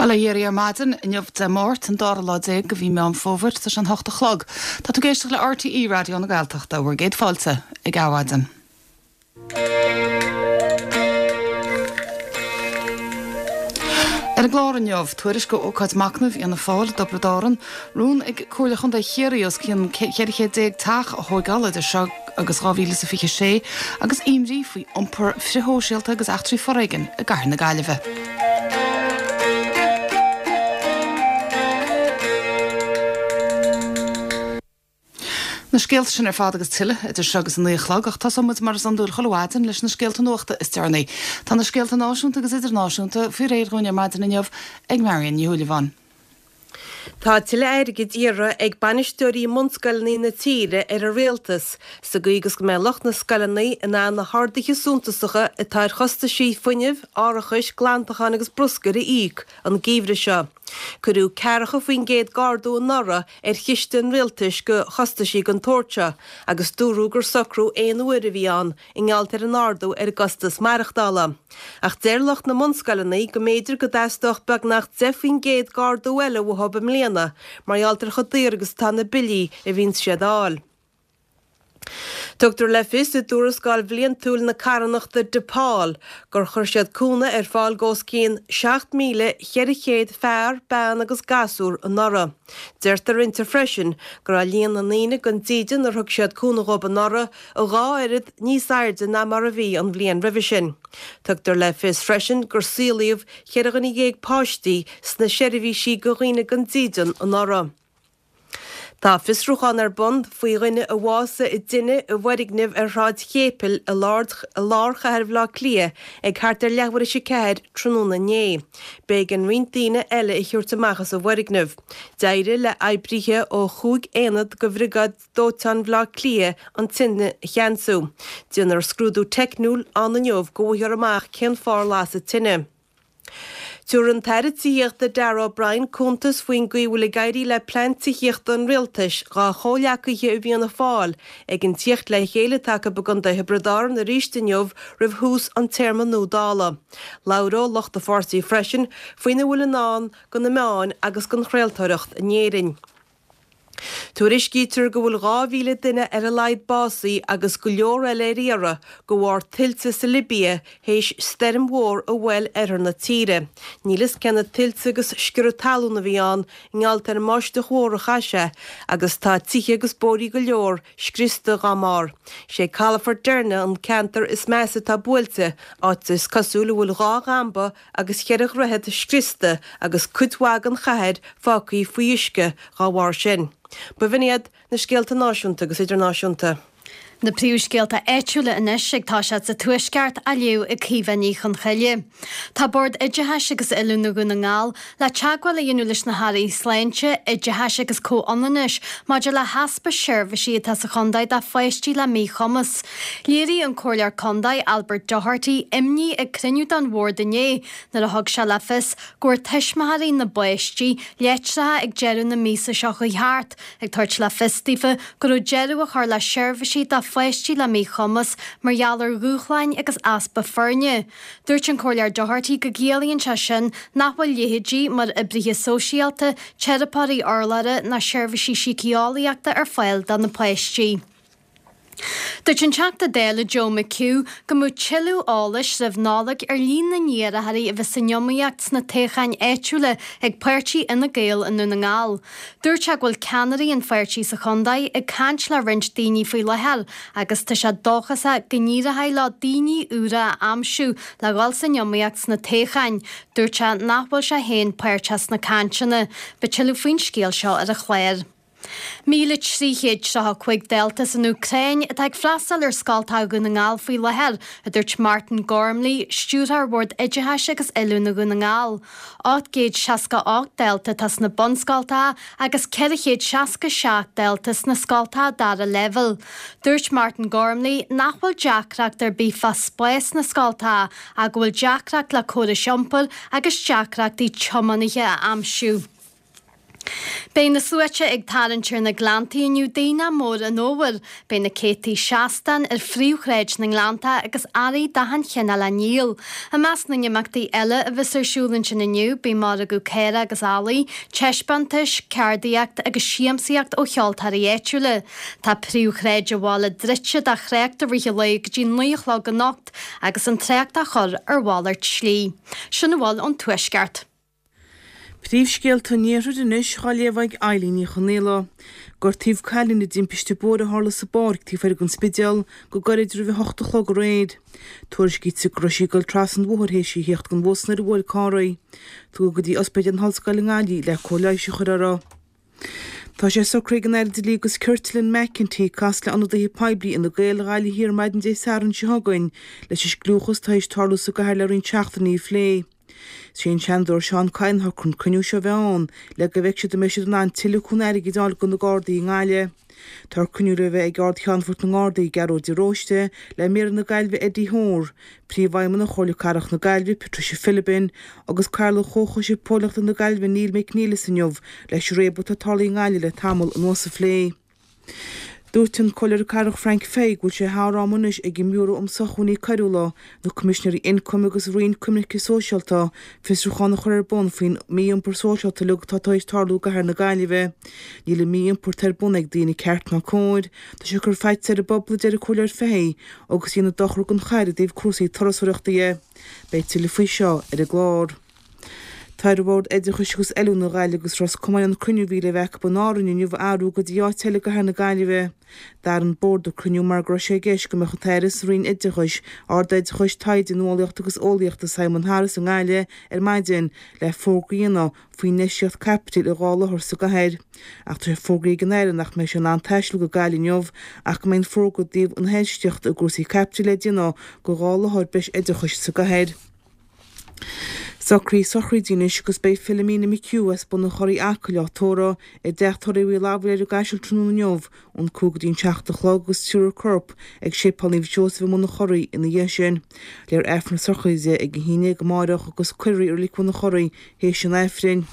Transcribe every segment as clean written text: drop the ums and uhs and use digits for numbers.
Bail ó Dhia oraibh ar maidin, inniu Dé Máirt, an dara lá de mhí Meán Fómhair, tá sé an hocht a chlog. Tá tú ag éisteacht le RTÉ Raidió na Gaeltachta, bhur gcéad fáilte ag Adhmhaidin. Ar an gclár inniu, tuairisc ó ócáid machnaimh Fhianna Fáil i dTiobraid Árann, rún ag Comhairle Chontae Chiarraí os cionn 14 teach a thóigeáil idir seo agus 2026 agus imní faoi iompar frithshóisialta agus eachtraí foréigin i gcathair na Gaillimhe. Na scéalta sin ar fad agus tuilleadh idir seo agus a 9 a chlog ach tosóidh muid mar is iondúil chuile mhaidin leis na scéalta nuachta is deireanaí. Tá na scéalta náisiúnta agus idirnáisiúnta faoi réir dhúinn ar maidin inniu ag Marion Ní Shúilleabháin. Tá tuilleadh airgid iarrtha ag bainisteoirí mbunscoileanna na tíre ar an Rialtas sa gcaoi agus go mbeidh lucht na scoileanna in ann na harduithe suntasacha atá ar chostaisí fuinnimh, árachais, glantacháin agus bruscair a íoc an geimhreadh seo. Cuireadh 40% d'ardú anuraidh ar chiste an Rialtais do chostaisí den tsórt seo agus dúradh gur socrú aon uaire a bhí ann i ngeall ar an ardú ar an gcostas maireachtála. Ach deir lucht na mbunscoileanna go mb'fhéidir go dteastódh beagnach 10% d'ardú eile uathu i mbliana mar gheall ar chomh daor agus atá na billí a bhíonns siad a fháil. Tugtar le fios i dtuarascáil bhliantúil na carthanachta Depaul gur chuir siad cúnamh ar fáil d'os cionn 7,400 fear, bean agus gasúr anuraidh. Deirtear inti freisin go raibh líon na ndaoine gan dídean ar thug siad cúnamh dhóibh anuraidh a dhá oiread níos airde ná mar a bhí an bhliain roimhe sin. Tugtar le fios freisin gur saolaíodh 14 dhuine páistí sna seirbhísí do dhaoine gan dídean anuraidh. Tá fiosrúchán ar bun faoi dhuine a bhásaigh i dtine i bhfoirgneamh ar Shráid Chéipil i lár chathair Bhaile Átha Cliath ag thart ar leathuair théis a ceathair tráthnóna inné. B'éigean roinnt daoine eile a thabhairt amach as an bhfoirgneamh. D'éirigh le oibrithe ó chúig aonad de Bhriogáid Dóiteáin Bhaile Átha Cliath an tine a cheansú. Déanfar scrúdú teicniúil ann inniu go bhfaighfear amach cén fáth ar lasadh tine. Tabharfaidh an tAire Tithíochta Darragh O'Brien cuntas faoin gcaoi a bhfuil ag éirí le plean tithíochta an Rialtais dhá chomhghleacaithe i bhFianna Fáil ag an tíocht le chéile atá acu i gContae Thiobraid Árann arís inniu roimh thús an téarma nua Dála. Labhróidh lucht an pháirtí freisin faoina bhfuil i ndán do na meáin agus don chraoltóireacht in Éirinn. Tuairiscítear go bhfuil 2,000 duine ar a laghad básaithe agus go leor eile ar iarraidh de bharr tuilte sa Libia théis stoirm mhór a bhuail oirthear na tíre. Níl fhios cé na tuilte agus sciorradh talún a bhí ann i ngeall ar an mbáisteach mhór a chaith sé agus tá tithe agus bóithrí go leor scriosta dá mbarr. Sé calafort Derna an ceantar is measa atá buailte, áit is cosúil a bhfuil dhá dhamba agus cheithre dhroichead scriosta agus cuid mhaith den chathair fágtha faoi uisce dá bharr sin. B'in iad na scéalta náisiúnta agus idirnáisiúnta. Na príomhscéalta áitiúla anois ag toiseacht sa Tuaisceart á léamh ag Caoimhe Ní Chonchoille. Tá Bord Oideachais agus Oiliúna Dhún na nGall le teagmháil a dhéanamh leis na hAirí Sláinte, Oideachais agus Comhionannais maidir le heaspa seirbhísí atá sa chontae do pháistí le míchumas. Léirigh an Comhairleoir Contae, Albert Doherty, imní ag cruinniú den bhord inné nuair a thug sé le fios go bhfuair tuismitheoirí na bpáistí litreacha ag deireadh na míosa seo chuaigh thart ag tabhairt le fios daofa go raibh deireadh á chur le seirbhísí do pháistí le míchumas mar gheall ar dhúshláin agus easpa foirne. Dúirt an Comhairleoir Doherty go gciallaíonn sé sin nach bhfuil leithéidí mar oibrithe sóisialta, teiripeoirí urlabhra ná seirbhísí síceolaíochta ar fáil do na páistí. Dúirt an Teachta Dála Joe McHugh go mbeadh tuilleadh eolais roimh Nollaig ar líon na n-iarrthóirí a bheas san iomaíocht sna toghcháin áitiúla ag páirtí Fhine Gael i nDún na nGall. Dúirt sé go bhfuil ceannairí an pháirtí sa chontae ag caint le roinnt daoine faoi láthair agus tá sé dóchasach go n-éireoidh leo daoine úra a aimsiú le dhul san iomaíocht sna toghcháin. Dúirt sé nach bhfuil sé féin páirteach sna cainteanna. Beidh tuilleadh faoin scéal seo ar an chlár. 1,335 dalta san Úcráin atá ag freastal ar scoltacha Dhún na nGall faoi láthair, a dúirt Martin Gormley, Stiúrthóir Bhord Oideachais agus Oiliúna Dhún na nGall. 868 dalta atá sna bunscoltacha agus 467 dalta sna scoltacha dara leibhéal. Dúirt Martin Gormley nach bhfuil deacracht ar bith fá spás sna scoltacha ach go bhfuil deacracht le córais iompair agus deacrachtaí tiománaithe a aimsiú. Beidh na sluaite ag tarraingt ar na Gleanntaí inniu d'Aonach Mór an Fhómhair. Beidh na céadtaí seastán ar phríomhshráid na nGleannta agus earraí d'achan chineál á ndíol. I measc na n-imeachtaí eile a bheas ar siúl ansin inniu beidh margadh caorach agus eallaigh, taispeántais, ceardaíocht agus siamsaíocht ó cheoltóirí áitiúla. Tá príomhshráid an bhaile druidte do thrácht i rith an lae go dtí 9 a chlog anocht agus an trácht á chur ar mhalairt slí. Sin a bhfuil ón Tuaisceart. Príomhscéalta an Iarthair anois á léamh ag Eilín Ní Chonaola. Gortaíodh cailín i dtimpiste bóthair a tharla sa bpáirc taobh thoir den Spidéal go gairid roimh a hocht a chlog aréir. Tuairiscítear go raibh sí ag dul trasna an bhóthair théis í a theacht den bhus nuair a bhuail carr í. Tugadh go dtí Ospidéal na hOllscoile i nGaillimh le cóir leighis a chur uirthi. Tá sé socraithe ag an Aire Dlí agus Cirt Lynne McEntee casadh le ionadaithe poiblí Fhine Gael Ghaillimh Thiar maidin Dé Sathairn seo chugainn leis an scliúchas atá théis tarlú sa gcathair le roinnt seachtainí a phlé. Is é an Seanadóir Seán Kyne a shocraigh an cruinniú seo a bheith ann le go bhfeicfidh siad an mbeidh siad in ann tuilleadh cúnamh airgid a fháil do na Gardaí i nGaillimh. Tá cruinniú le bheith ag Ard-Cheannfort na nGardaí, Gearóid de Róiste, le Méara na Gaillimhe Eddie Hoare, Príomhfheidhmeannach Chomhairle Cathrach na Gaillimhe, Patricia Philbin, agus Cathaoirleach Chomhchoiste Póilíneachta na Gaillimhe Neil McNeilus inniu leis an réabadh atá tarlaithe i nGaillimh le tamall anuas a phlé. Dúirt an Comhairleoir Cathrach Frank Fahey go bhfuil sé thar am anois ag an mBiúró um Sócmhainní Coiriúla, na Coimisinéirí Ioncaim agus Roinn Coimirce Sóisialta fiosrúchán a chur ar bun faoin mí-iompar sóisialta uilig atá tar éis tarlú i gcathair na Gaillimhe. Níl an mí-iompar atá ar bun ag daoine ceart ná cóir. Tá sé ag cur faitíos ar an bpobal, a deir an Comhairleoir Fahey, agus ag déanamh dochar don chathair i dtaobh cúrsaí turasóireachta dhe. Beidh tuilleadh faoi seo ar an gclár. Tá ar Bhord Oideachais agus Oiliúna Ghaillimh agus Ros Comáin an cruinniú a bhí le bheith acu in Árainn inniu a athrú go dtí áit eile i gcathair na Gaillimhe. D'athraigh an Bord an cruinniú mar go raibh sé i gceist go mbeadh an tAire sa Roinn Oideachais, Ardoideachais, Taighde, Nuálaíochta agus Eolaíochta Simon Harris i nGaillimh ar maidin le fógra a dhéanamh faoin infheistíocht caipitil i dhá láthair sa gcathair. Ach tá sé fógraithe ag an Aire nach mbeidh sé in ann taisteal go Gaillimh inniu ach go mbeidh an fógra i dtaobh na hinfheistíochta i gcúrsaí caipitil le déanamh do dhá láthair breis oideachais sa gcathair. Socruithe sochraide anois agus beidh Philomena McHugh as Bun an Churraigh Acaill á tórramh i dteach tórraimh Uí Fhlathbhaile ar an gCaiseal tráthnóna inniu ón 5 go dtí an 7 a chlog agus tabharfar a corp ag Séipéal Naomh Seosamh i mBun an Churraigh ina dhiaidh sin. Léifear Aifreann na sochraide ag a haon déag amáireach agus cuirfear í i Reilig Bhun an Churraigh théis an Aifrinn.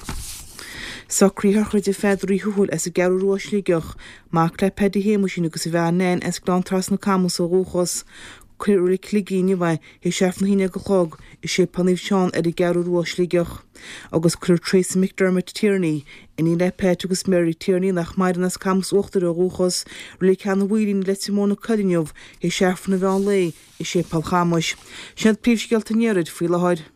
Socruithe sochraide Pheadair Uí Thuathail as an gCeathrú Rua Sligeach, mac le Paddy Shéamuisín agus a bhean Nan as Gleann Trasna Camus ó dhúchas. Cuirfear i Reilig Shligigh inniu é théis Aifreann a haon déag a chlog i Séipéal Naomh Seán ar an gCeathrú Rua Sligeach. Agus cuirfear Teresa McDermott Tierney, iníon le Pat agus Mary Tierney nach maireann as Camus Uachtair ó dhúchas, Reilig Sheanadh Mhaoilín i Leitir Móir na Coille inniu théis Aifreann an mheán lae i Séipéal Chamuis. Sin iad príomhscéalta an Iarthair faoi láthair.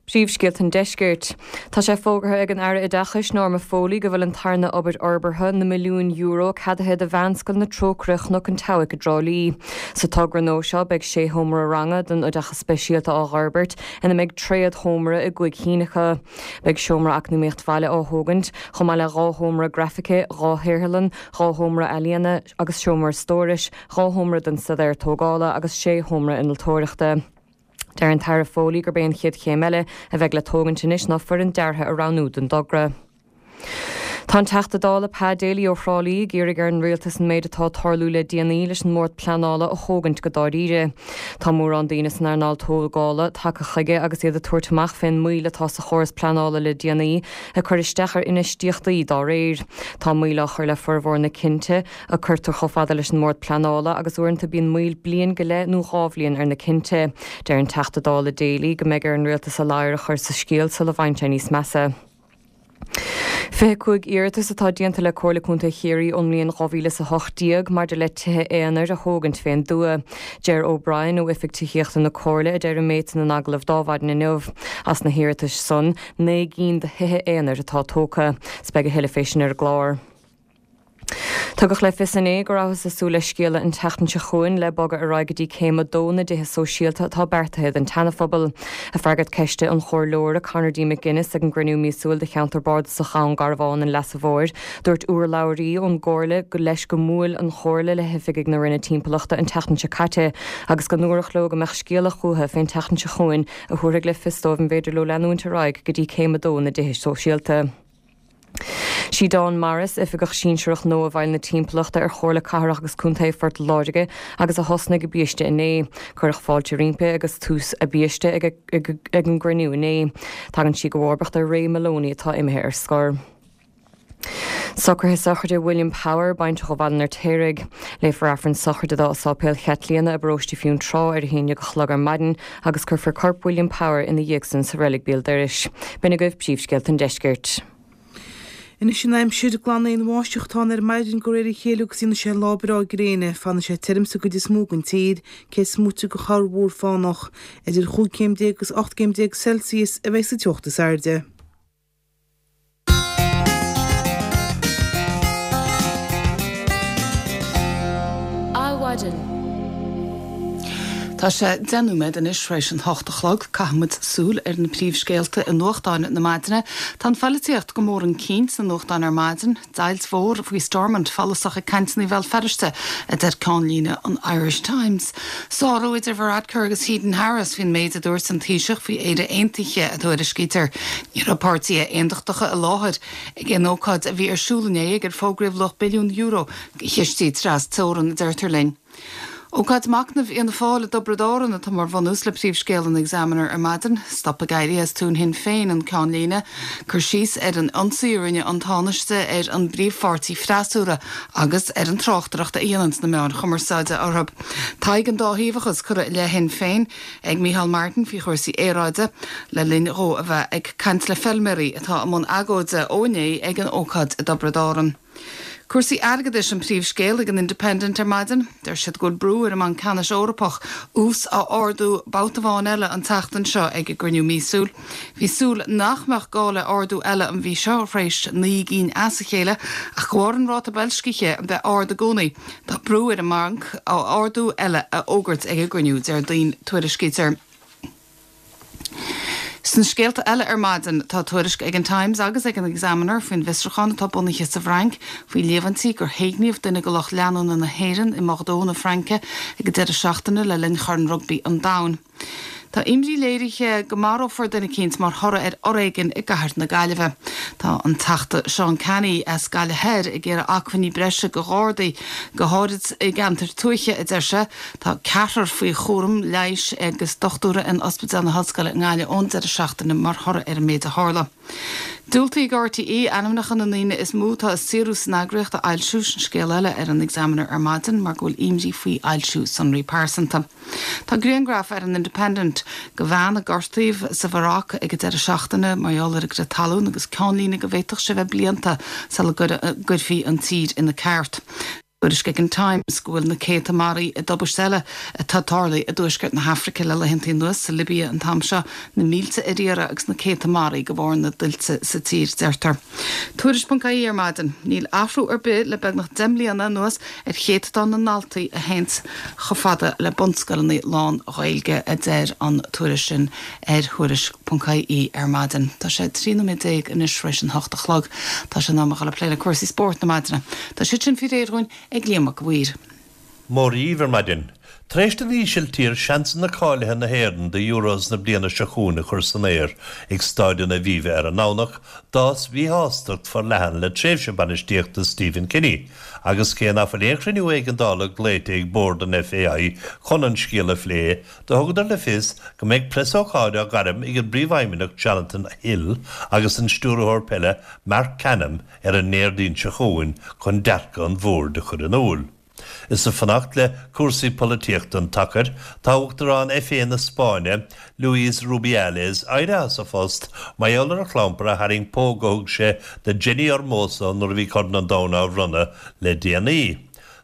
Príomhscéalta an Deiscirt. Tá sé fógartha ag an Aire Oideachais, Norma Foley, go bhfuil an tarna obair fhorbartha, na milliúin euro, ceadaithe do Mheánscoil na Trócaire, Chnoc an tSeabhaic i dTrá Lí. Sa togra nua seo, beidh sé sheomra ranga don oideachas speisialta á dh'fhorbairt, ina mbeidh tréad-sheomra i gcúig chinn acu. Beidh seomra eacnamaíocht bhaile á thógaint, chomh maith le dhá sheomra grafaice, dhá shaotharlann, dhá sheomra ealaíona agus seomra stórais, dhá sheomra don staidéar tógála agus sé sheomra innealtóireachta. Deir an tAire Foley gurb é an chéad chéim eile a bheidh le tógaint anois ná foireann deartha a roghnú don dtogra. Tá an Teachta Dála Pa Daly ó Thrá Lí ag iarraidh ar an Rialtas an méid atá ag tarlú le déanaí leis an mBord Pleanála a thógaint go dáiríre. Tá mórán daoine san earnáil tógála tagtha chuige agus iad ag tabhairt amach fén moill atá sa chóras pleanála le déanaí, ag cur isteach ar infheistíochtaí dá réir. Tá moill á chur le formhór na cinnte, a cuirtear chomh fada leis an mBord Pleanála agus uaireanta bíonn moill bliain go leith nó dhá bhliain ar na cinnte. Deir an Teachta Dála Daly go mbeidh ar an Rialtas a ladhar a chur sa scéal sula bhfaigheann sé níos measa. 25 iarratas atá déanta le Comhairle Contae Chiarraí ón mbliain 2018 maidir le tithe aonair a thógaint fén dtuath. Ger O'Brien ó Oifig Tithíochta na Comhairle a deir an méid san in agallamh d'Adhmhaidin inniu. As na hiarratais san, 9 gcinn de thithe aonair atá tógtha. 'S beidh a thuilleadh fé sin ar an gclár. Tugadh le fios inné go rabhthas ag súil le scéala an tseachtain seo chugainn le bogadh ar aghaidh go dtí céim 2 na dtithe sóisialta atá beartaithe don tSeanaphobal. Ag freagairt ceiste an Chomhairleora Conor D. McGuinness ag an gcruinniú míosúil de cheantar bardasach Dhún Garbhán an Leasa Mhóir, dúirt urlabhraí ón gComhairle go leis go mbuail an Chomhairle le hoifigigh na Roinne Timpeallachta an tseachtain seo caite agus go ndúradh leo go mbeadh scéala chucu fén tseachtain seo chugainn a thabharfaidh le fios dóibh an bhféidir leo leanúint ar aghaidh go dtí céim 2 na dtithe sóisialta. Sí Dawn Morris, Oifigeach Sinsearach nua i bhfeighil na Timpeallachta ar Chomhairle Cathrach agus Contae Phort Láirge agus a thosnaigh i biaiste inné. Cuireadh fáilte roimpi agus tús a biaiste ag an gcruinniú inné. Tagann sí i gcomharbacht ar Ray Moloney atá imithe ar scor. Socruithe sochraide William Power, baintreach ó Bhaile an Fheirtéaraigh. Léifear Aifreann sochraide dó i Sáipéal Chaitlíona i bparóiste Fionntrá ar a haon dhéag a chlog ar maidin agus cuirfear corp William Power ina dhiaidh san sa reilig béal dorais. B'in agaibh príomhscéalta an deiscirt. Anois an aimsir, glan aon bháisteach atá ann ar maidin de réir a chéile agus déanfaidh sé lá breá gréine. Fanfaidh sé tirim sa gcuid is mó den tír, cé is móite de chorrmhúr fánach. Idir chúig chéim déag agus 18 gcéim Celsius a bheidh sa teocht is airde. Adhmhaidin. Tá sé 10 nóiméad anois tar éis an hocht a chlog. Caithfidh muid súil ar na príomhscéalta i nuachtáin na maidine. Tá an phoilitíocht go mór chun cinn sna nuachtáin ar maidin. Deighilt mhór faoi Stormont follasach ag cainteanna Bhéal Feirste, a deir ceannlíne an Irish Times. Sárú idir Varadkar agus Heydon-Harris faoin méid a dúirt an Taoiseach faoi Éire Aontaithe, a tuairiscítear. Ní raibh páirtithe aontachtacha i láthair ag an ócáid a bhí ar siúl inné ag ar fógraíodh luach billiún euro de chistí tras teorann, a deirtear linn. Ócáid machnaimh Fhianna Fáil i dTiobraid Árann atá mar bhunús le príomhscéal an Examiner ar maidin. Stop ag éirí as tóin Shinn Féin an ceannlíne. Cur síos ar an ionsaí a rinne an Tánaiste ar an bpríomhpháirtí freasúra agus ar an tráchtaireacht a dhéananns na meáin chumarsáide orthu. Tadhg an dá thaobhachas curtha i leith Shinn Féin ag Micheál Martin faoi chúrsaí aeráide le linn dhó a bheith ag caint le feilméaraí atá i mbun agóide ó inné ag an ócáid i dTiobraid Árann. Cúrsaí airgeadais an príomhscéal ag an Independent ar maidin. Deir siad go bhfuil brú ar an mBanc Ceannais Eorpach ús a ardú babhta amháin eile an tseachtain seo ag a gcruinniú míosúil. Bhí súil nach mbeadh gá le ardú eile an mhí seo tar éis 9 gcinn as a chéile ach de bharr an ráta boilscithe a bheith ard i gcónaí tá brú ar an mbanc ardú eile a fhógairt ag a gcruinniú Déardaoin, tuairiscítear. Sna scéalta eile ar maidin, tá tuairisc ag an Times agus ag an Examiner faoin bhfiosrúchán atá bunaithe sa bhFrainc faoi líomhaintí gur héigníodh duine de lucht leanúna na hÉireann i mBordeaux na Fraince ag an deireadh seachtaine le linn Chorn Rugbaí an Domhain. Tá imní léirithe go marófar duine eicínt mar thoradh ar fhoréigean i gcathair na Gaillimhe. Tá an Teachta Seán Canney as Gaillimh Thoir ag iarraidh acmhainní breise do Ghardaí, go háirid i gceantair tuaithe, a deir sé. Tá ceathrar faoi chúram leighis agus dochtúra in Ospidéal na hOllscoile i nGaillimh ón deireadh seachtaine mar thoradh ar an méid a tharla. Diúltaíodh ag RTÉ ainmneacha na ndaoine is mó atá ag saothrú san eagraíocht a fhoilsiú, sin scéal eile ar an Examiner ar maidin, mar go bhfuil imní faoi fhoilsiú sonraí pearsanta. Tá grianghraf ar an Independent de bhean a gortaíodh sa Mharóc ag an deireadh seachtaine mar gheall ar an gcrith talún agus ceannlíne go bhféadfadh sé bheith blianta sula gcuirfí an tír ina ceart. Tuairisc ag an Times go bhfuil na céadta maraithe i dtubaist eile atá tarlaithe i dtuaisceart na hAfraice le laethanta anuas, sa Libia an t-am seo, na mílte ar iarraidh agus na céadta maraithe de bharr na dtuilte sa tír, deirtear. Tuairisc.ie ar maidin, Níl athrú ar bith le beagnach 10 mbliana anuas ar chéatadán na ndaltaí a théanns chomh fada le bunscoileanna lán-Ghaeilge, a deir an tuairisc sin ar Thuairisc.ie ar maidin. Tá sé 13 nóiméad anois tar éis an hocht a chlog. Tá sé in am a dhul ag plé le cúrsaí spóirt na maidine. Tá siad sin faoi réir dhúinn ag Liam Mac a' Mhaoir. Móra dhíbh ar maidin. Tar éis don Ísiltír seansanna cáilithe na hÉireann do Euros na bliana seo chugainn a chur san aer ag Stáid an Aviva ar an nDomhnach, d'fhás míshástacht forleathan le tréimhse bainistíochta Stephen Kenny agus cé nach bhfuil aon chruinniú éigeandála glaoite ag bord an FAI chun an scéal a phlé, Do thugadar le fios go mbeidh preasócáid á gairm ag an bPríomhfheidhmeannach Jonathan Hill agus an Stiúrthóir Peile Marc Canham ar an nDéardaoin seo chugainn chun dearcadh an bhoird a chur in iúl. Is ag fanacht le cúrsaí polaitíochta an tsacair, tá Uachtarán FA na Spáinne, Luis Rubiales, éirithe as a phost mar gheall ar a chlampar a tharraing póg a thug sé do Jenni Hermoso nuair a bhí Corn an Domhain á bhronnadh le déanaí.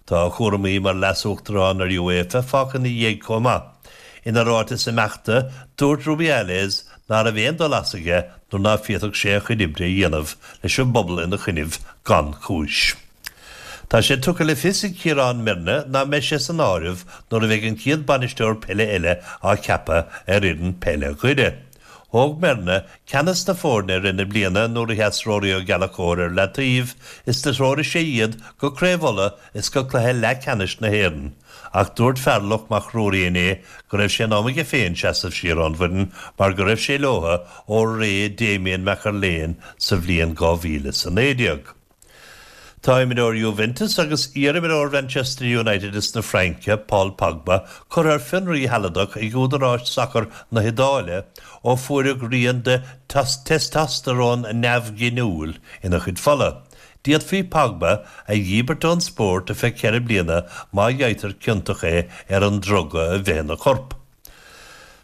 Tá a chúramaí mar Leas-Uachtarán ar UEFA fágtha ina dhiaidh chomh maith. Ina ráiteas imeachta, dúirt Rubiales ná raibh aon dul as aige nuair ná féadfadh sé a chuid oibre a dhéanamh leis an bpobal ina choinnibh gan chúis. Tá sé tugtha le fios ag Ciarán Myrne ná mbeidh sé san áireamh nuair a bheidh an chéad bainisteoir peile eile á cheapadh ar fhoireann peile Dhoire. Thóg Myrne ceannas na foirne i rith na bliana nuair a sheas Rory Ó Gallchóir ar leataobh is do threoraigh sé iad go Craobh Uladh is go cluiche leathcheannais na hÉireann. Ach dúirt Fearlach Mac Ruairí inné go raibh sé in am aige féin seasamh siar ón bhfoireann mar go raibh sé leotha ó ré Damian McErlain sa bhliain 2019. Tá imreoir Juventus agus iar-imreoir Mhanchester United is na Fraince, Paul Pogba, curtha ar fionraí shealadach ag údaráis sacair na hIodáile ó fuaireadh rian de theisteastarón neamhghiniúil ina chuid fola. D'fhéadfaí Pogba a dhíbirt ón spórt ar feadh 4 bliana má fhaightear ciontach é ar an druga a bheith ina chorp.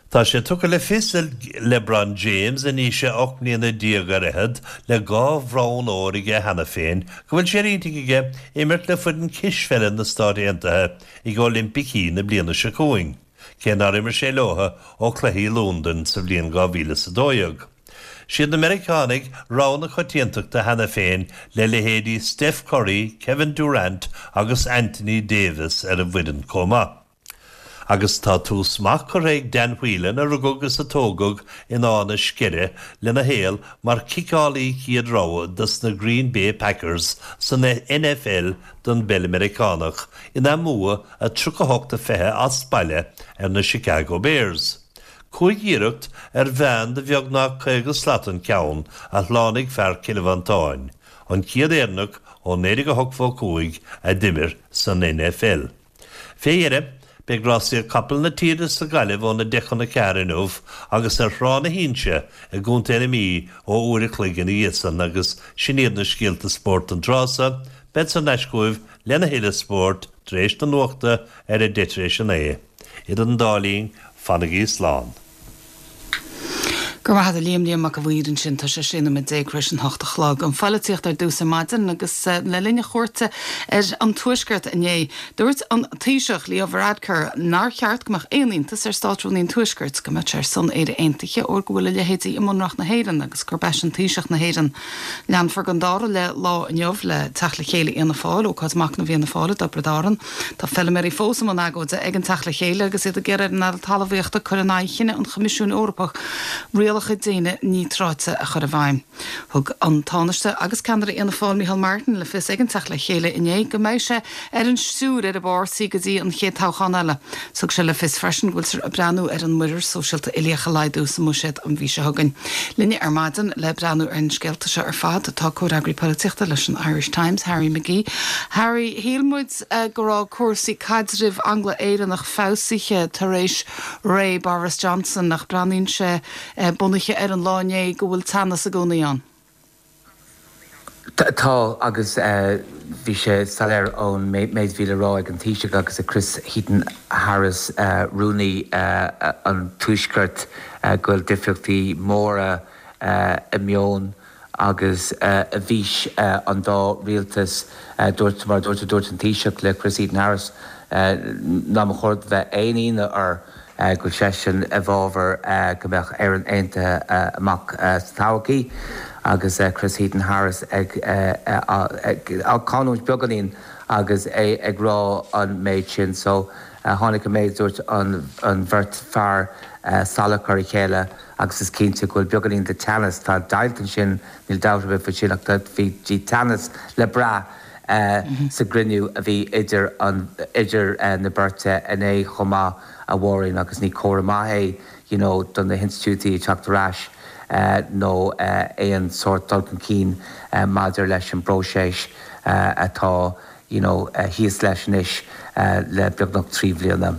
Tá sé tugtha le fios ag LeBron James, anois é 18 mbliana ar fhichead, le 2 bhonn óir aige cheana féin, go bhfuil sé ar intinn aige imirt le foireann cispheile na Stát Aontaithe ag Oilimpicí na bliana seo chugainn, cé nár imir sé leo ó Chluichí Londain sa bhliain 2012. Siad na Meiriceánaigh rogha na coitiantachta cheana féin le leithéidí Steph Curry, Kevin Durant agus Anthony Davis ar an bhfoireann chomh maith. Agus tá tús maith curtha ag Dan Whelan, a rugadh agus a tógadh in Áth na Sceire, lena shaol mar chiceálaí chéad rogha dos na Green Bay Packers san NFL don bpeil Meiriceánach ina mbua 38-20 as baile ar na Chicago Bears. Cúig iarracht ar mheán de bheagnach 50 slat an ceann a shlánaigh fear Chill Mhantáin, an chéad Éireannach ó 1985 a d'imir san NFL. Fé dheireadh, beidh rásaíocht capall na tíre sa Ghaillimh óna 10 chun a 4 inniu agus ar Thrá na hInse i gContae na Mí ó uair a chloig ina dhiaidh san agus sin iad na scéalta spóirt don tráth so. Bead thar n-ais chugaibh lena thuilleadh spóirt tar éis na nuachta ar a deich tar éis a naoi. Idir an dá linn, fanaigí slán. Go raibh maith agat a Liam, Liam Mac a' Mhaoir ansin. Tá sé 16 nóiméad tar éis an hocht a chlog. An pholaitíocht ar dtús ar maidin agus le linn a chuairte ar an Tuaisceart inné, dúirt an Taoiseach Leo Varadkar nár cheart go mbeadh aon iontas ar Státrúnaí an Tuaiscirt go mbeadh sé ar son Éire Aontaithe óir go bhfuil a leithéidí i mBunreacht na hÉireann agus gurb eisean Taoiseach na hÉireann. Leanfar den dara leath lá inniu le teacht le chéile Fhianna Fáil, ócáid machnaimh Fhianna Fáil i dTiobraid Árann. Tá feilméaraí fós i mbun agóide ag an Teach le Chéile agus iad ag iarraidh ar an Aire Talmhaíochta cur in aghaidh chinneadh an Choimisiúin Eorpach rialacha déine níotráite a chur i bhfeidhm. Thug an Tánaiste agus ceannaire Fhianna Fáil Micheál Martin le fios ag an Teach le Chéile inné go mbeidh sé ar an stiúir ar an bpáirtí go dtí an chéad toghchán eile. Thug sé le fios freisin go bhfuiltear ag breathnú ar an muirear sóisialta uilíoch a laghdú sa mbuiséad an mhí seo chugainn. Linne ar maidin le breathnú ar na scéalta seo ar fad tá comhfhreagraí polaitíochta leis an Irish Times, Harry McGee. Harry, shíl muid go raibh cúrsaí caidrimh Angla-Éireannach feabhsaithe tar éis ré Boris Johnson ach breathnaíonn sé, bunaithe ar an lá inné, go bhfuil teannas i gcónaí ann. Tá, agus bhí sé soiléir ón méid a bhí le rá ag an Taoiseach agus ag Chris Heaton-Harris, Rúnaí an Tuaiscirt, go bhfuil difríochtaí móra i meon agus i bhfís an dá rialtas. Dúirt, mar a dúirt, dúirt an Taoiseach le Chris Heaton-Harris nach mba chóir bheith aon ionadh air go bhfuil seisean i bhfabhar go mbeadh Éirinn Aontaithe amach sa todhchaí agus Chris Heaton-Harris ag canúint beagáinín agus é ag rá an méid sin. So tháinig an méid a dúirt an bheirt fear salach ar a chéile agus is cinnte go bhfuil beagáinín de teannas, tá deighilt ansin, níl dabht ar bith faoi sin ach bhí teannas le brath sa gcruinniú a bhí idir an idir na beirte inné chomh maith a Mháirín agus ní comhartha maith é you know do na hinstitiúidí ag teacht ar ais nó aon sórt dul chun cinn maidir leis an bpróiseas atá you know thíos leis anois le beagnach 3 bhliana.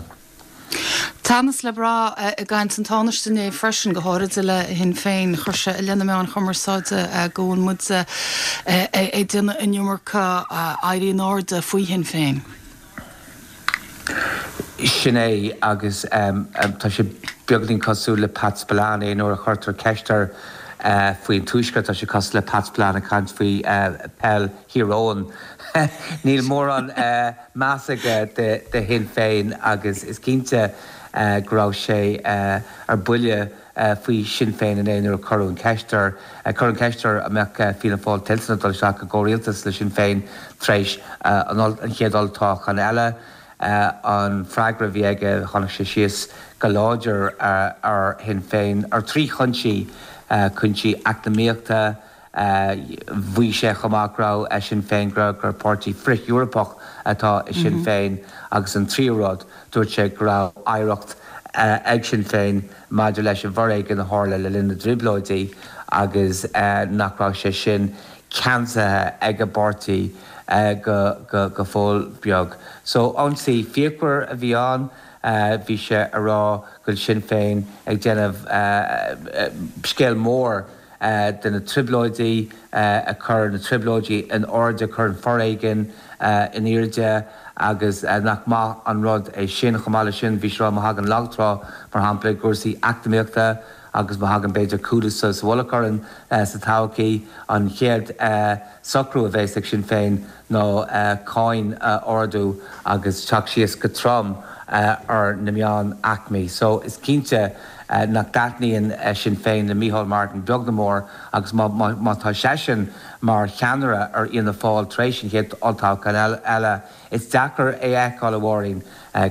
Teannas le brath i gcaint an Tánaiste inné freisin, go háirid le Shinn Féin. Chuir sé i leith na meáin chumarsáide go bhfuil muid ag déanamh an iomarca éirí in airde faoi Shinn Féin. Sin é, agus tá sé beagáinín cosúil le Pat Spillane nuair a chuirtear ceist air faoin Tuaisceart, tá sé cosúil le Pat Spillane ag caint faoi peil Thír Eoghain. Níl mórán meas aige do Shinn Féin agus is cinnte go raibh sé ar buile faoi Shinn Féin inné nuair a cuireadh an cheist air. Cuireadh an cheist air an mbeadh Fianna Fáil toilteanach dul isteach i gcomhrialtas le Sinn Féin tar éis an chéad olltoghchán eile. An freagra a bhí aige, tháinig sé síos go láidir ar Shinn Féin ar thrí chúinsí, cúinsí eacnamaíochta, Mhaígh sé chomh maith go raibh Sinn Féin, gur páirtí frith-Eorpach atá i Sinn Féin agus an tríú rud, dúirt sé go raibh oidhreacht ag Sinn Féin maidir leis an bhforéigean a tharla le linn na dTrioblóidí agus nach raibh sé sin ceansaithe ag an bpáirtí go fóill beag. So, ionsaí fíochmhar a bhí ann. Bhí sé a rá go bhfuil Sinn Féin ag déanamh scéal mór. de na Trioblóidí, a chuir na Trioblóidí in airde, a chuir an foréigean in airde agus nach maith an rud é sin. Chomh maith leis sin, bhí sé ag rá má thagann lagtrá, mar shampla, i gcúrsaí eacnamaíochta agus má thagann b'fhéidir cúlú sa mhullach orainn sa todhchaí, an chéad socrú a bheas ag Sinn Féin ná cáin a ardú agus teacht síos go trom ar na meánaicmí. So is cinnte nach dtaitníonn Sinn Féin le Micheál Martin beag ná mór agus má tá seisean mar cheannaire ar Fhianna Fáil tar éis an chéad olltoghchán eile, is deacair é a fheiceáil, a Mháirín,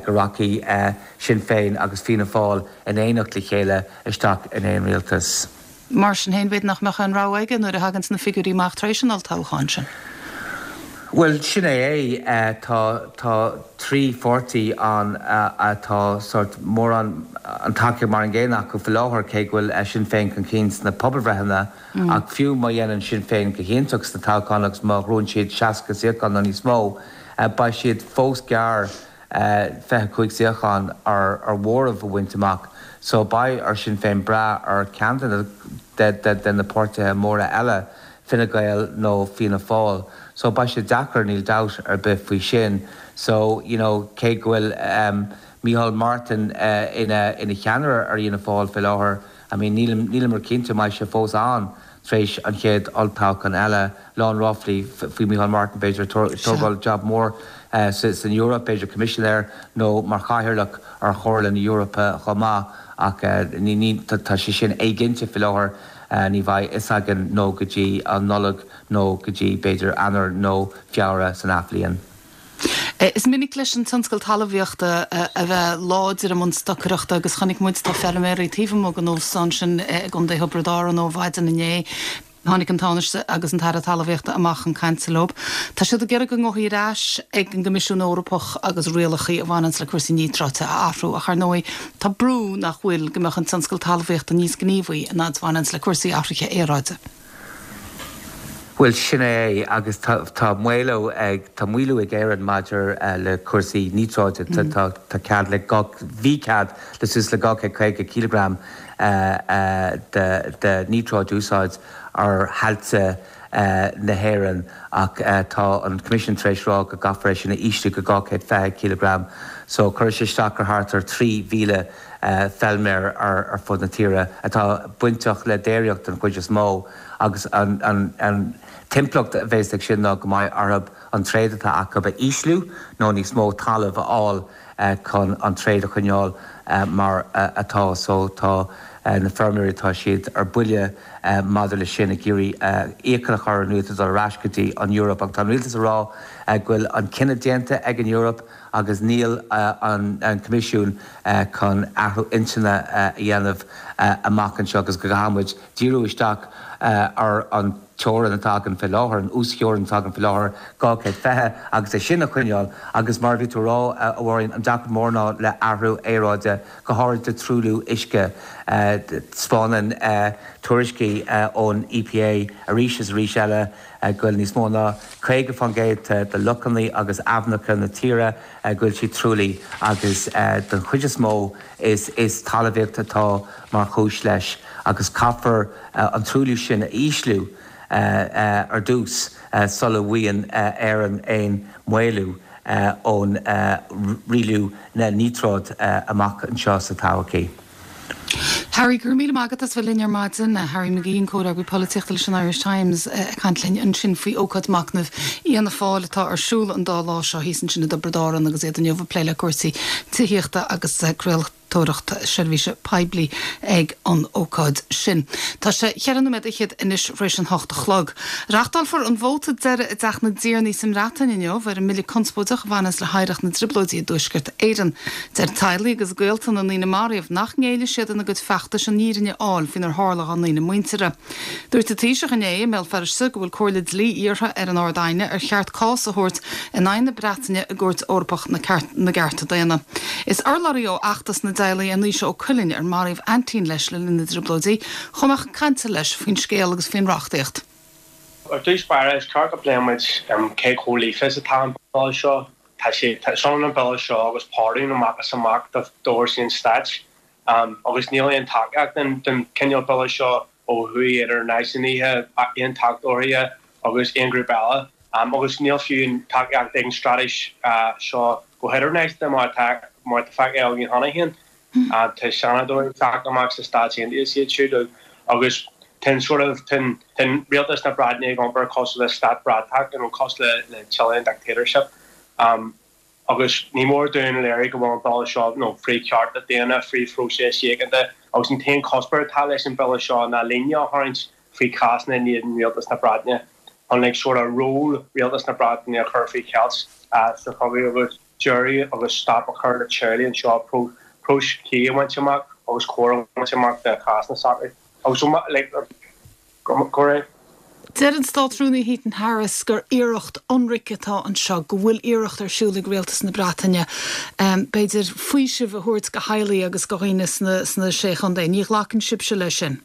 go rachaidh Sinn Féin agus Fianna Fáil in éineacht le chéile isteach in aon rialtas. Mar sin féin, b'fhéidir nach mbeadh aon rogha aige nuair a thaganns na figiúirí amach tar éis an olltoghcháin sin. Bhuel, sin é é. Tá, tá trí pháirtí ann atá sórt mórán, an tacaíocht mar an gcéanna acu faoi láthair, cé go bhfuil Sinn Féin chun cinn sna pobalbhreitheanna. Ach fiú má dhéanann Sinn Féin go hiontach sna toghcháin agus má ghnóthaíonn siad 60 suíochán nó níos mó, beidh siad fós gearr 25 suíochán ar mhóramh a bhaint amach so beidh ar Sinn Féin brath ar cheann de na páirtithe móra eile, Fine Gael nó Fianna Fáil. So beidh sé deacair, níl dabht ar bith faoi sin. So, you know, cé go bhfuil Micheál Martin ina cheannaire ar Fhianna Fáil fé láthair, I mean, níleamar cinnte an mbeidh sé fós ann tar éis an chéad olltoghchán eile. Lán ráflaí faoi Micheál Martin, b'fhéidir, ag tógáil jab mór san Eoraip, b'fhéidir coimisinéir nó mar chathaoirleach ar Chomhairle na hEorpa chomh maith ach tá sé sin éiginnte faoi láthair. Ní bheidh fhios againn nó go dtí an Nollaig nó go dtí b'fhéidir Eanáir nó Feabhra san athbhliain. Is minic leis an tionscal talmhaíochta a bheith láidir i mbun stocaireachta agus chonaic muid, tá feilméaraí taobh amuigh den óstán sin i gContae Thiobraid Árann ó mhaidin inné. Tháinig an Tánaiste agus an tAire Talmhaíochta amach chun cainte leo. Tá siad ag iarraidh a ngothaí ar ais ag an gCoimisiún Eorpach agus rialacha a bhaineanns le cúrsaí níotráite a athrú ach ar ndóigh tá brú nach bhfuil go mbeadh an tionscal talmhaíochta níos gníomhaí in fhad is a bhaineanns le cúrsaí athraithe aeráide. Bhuel, sin é é, agus tá maolú ag, tá maolú ag Éirinn maidir le cúrsaí níotráide. Tá, tá cead le dhá, bhí cead le suas le 250 cileagram de, de níotráid a úsáid ar thailte na hÉireann ach tá an Coimisiún tar éis rá go gcaithfear é sin a ísliú go 220 cileagram. So cuirfidh sé isteach ar thart ar 3,000 feilméar ar fud na tíre atá bainteach le déiríocht den chuid is mó agus an t-impleacht a bheas ag sin ná go mbeidh orthu an tréad atá acu a ísliú nó níos mó talaimh a fháil chun an tréad a choinneáil mar atá. So tá na feirmeoirí, tá siad ar buile maidir leis sin ag iarraidh iachall a chur ar an rialtas dul ar ais go dtí an Eoraip ach tá an rialtas ag rá go bhfuil an cinneadh déanta ag an Eoraip agus níl an Coimisiún chun athrú intinne a dhéanamh amach anseo agus go gcaithfidh muid díriú isteach ar an teorainn atá againn fé láthair, an uastheorainn atá againn fé láthair, 220, agus é sin a choinneáil. Agus mar a bhí tú a rá, a Mháirín, an deacracht mór ná le athrú aeráide, go háirid le truailliú uisce. Taispeánann tuairiscí ón EPA arís is arís eile go bhfuil níos mó ná 50% de lochanna agus aibhneacha na tíre go bhfuil siad truaillithe agus den chuid is mó is talmhaíocht atá mar chúis leis agus caithfear an truailliú sin a ísliú ar dtús sula bhfaigheann Éirinn aon mhaolú ón rialú na níotráid amach anseo sa todhchaí. Harry, go raibh míle maith agat as bheith linn ar maidin. Harry McGee, an comhfhreagraí polaitíochta leis an Irish Times, ag caint linn ansin faoi ócáid machnaimh Fhianna Fáil atá ar siúl an dá lá seo thíos ansin i dTiobraid Árann agus iad inniu ag plé le cúrsaí tithíochta agus craoltóireacht seirbhíse poiblí ag an ócáid sin. Tá sé cheithre nóiméad fhichead anois tar éis an hocht a chlog. Reachtálfar an vóta deiridh i dTeach na dTiarnaí sa mBreatain inniu ar an mbille conspóideach a bhaineas le hoidhreacht na dTrioblóidí i dTuaisceart Éireann. Deir teaghlaigh agus gaolta na ndaoine a maraíodh nach ngéillfidh siad ina gcuid feachtais an fhírinne a fháil faoinar tharla dá ndaoine muinteartha. Dúirt an Taoiseach inné i mBéal Feirste go bhfuil comhairle dlí iarrtha ar an Ard-Aighne ar cheart cás a thabhairt in aghaidh na Breataine i gCúirt Eorpach na gCearta Daonna. Is urlabhraí ó fheachtas na dteaghlach é Naoise Ó Cuilinn ar maraíodh aintín leis le linn na dTrioblóidí. Chuaigh mé chun cainte leis faoin scéal agus faoin reachtaíocht. Ar dtús báire, is ceart go bpléann muid cé chomh líofa is atá an Bille seo. Tá sé, tá, is ionann an Bille seo agus pardún amach is amach d'fhórsaí an stáit. Agus níl aon tacaíocht don chineál Bille seo. ó thuaidh idir náisiúnaithe, aontachtóirí agus aon ghrúpa eile. Agus níl fiú an tacaíocht ag an straitéis seo go hidirnáisiúnta mar atá mar atá feicthe againn cheana féin. Tá seanadóirí ag teacht amach sna Stáit Aontaithe is iad siúd agus tá an sort of tá an rialtas na Breataine ag iompar cosúil le stát bratach, you know, cosúil le Chilean dictatorship. Agus ní mór dúinn a léiriú go bhfuil an Bille seo, you know, frith chearta daonna, frith phróiseas síochánta agus an t-aon chuspóir atá leis an Bhille seo ná líne a tharraingt faoi chásanna in éadan Rialtas na Breataine chun like sort of ról Rialtas na Breataine a chur faoi cheilt sa chogadh agus deireadh agus stop a chur le teaghlaigh anseo próiseas cuí a bhaint amach agus cóir a bhaint amach do chásanna s'acu agus like go raibh. Deir an Státrúnaí Heaton Harris gur iarracht ionraic atá anseo, go bhfuil iarracht ar siúl ag Rialtas na Breataine, b'fhéidir, faoiseamh a thabhairt go theaghlaigh agus go dhaoine sna Sé Chontae. Ní ghlacann sibhse leis sin?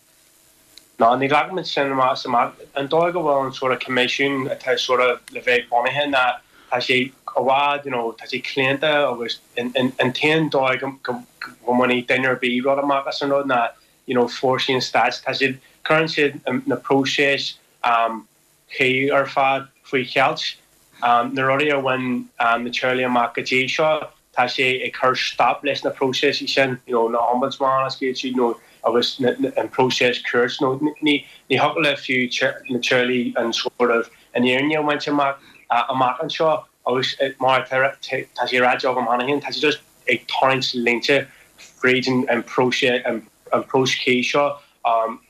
No, ní ghlacaimid sin amach is amach. An dóigh go bhfuil an sort of coimisiún atá sort of le bheith bunaithe ná tá sé i bhfad, you know, tá sé claonta agus an t-aon dóigh go mbainfidh duine ar bith rud amach as an rud ná you know fórsaí an stáit, tá siad, cuireann siad na próisis chuí ar fad faoi cheilt. Na rudaí a bhain na teaghlaigh amach go dtí seo, tá sé ag cur stop leis na próisis sin, you know na ombudsman is iad siúd nó agus an próiseas cúirt nó ní ní thiocfadh le fiú na teaghlaigh an sort of an fhírinne a bhaint amach amach anseo agus mar atá tá sé ráite agam cheana féin, tá sé just ag tarraingt línte fríd an próiseas an próiseas cuí seo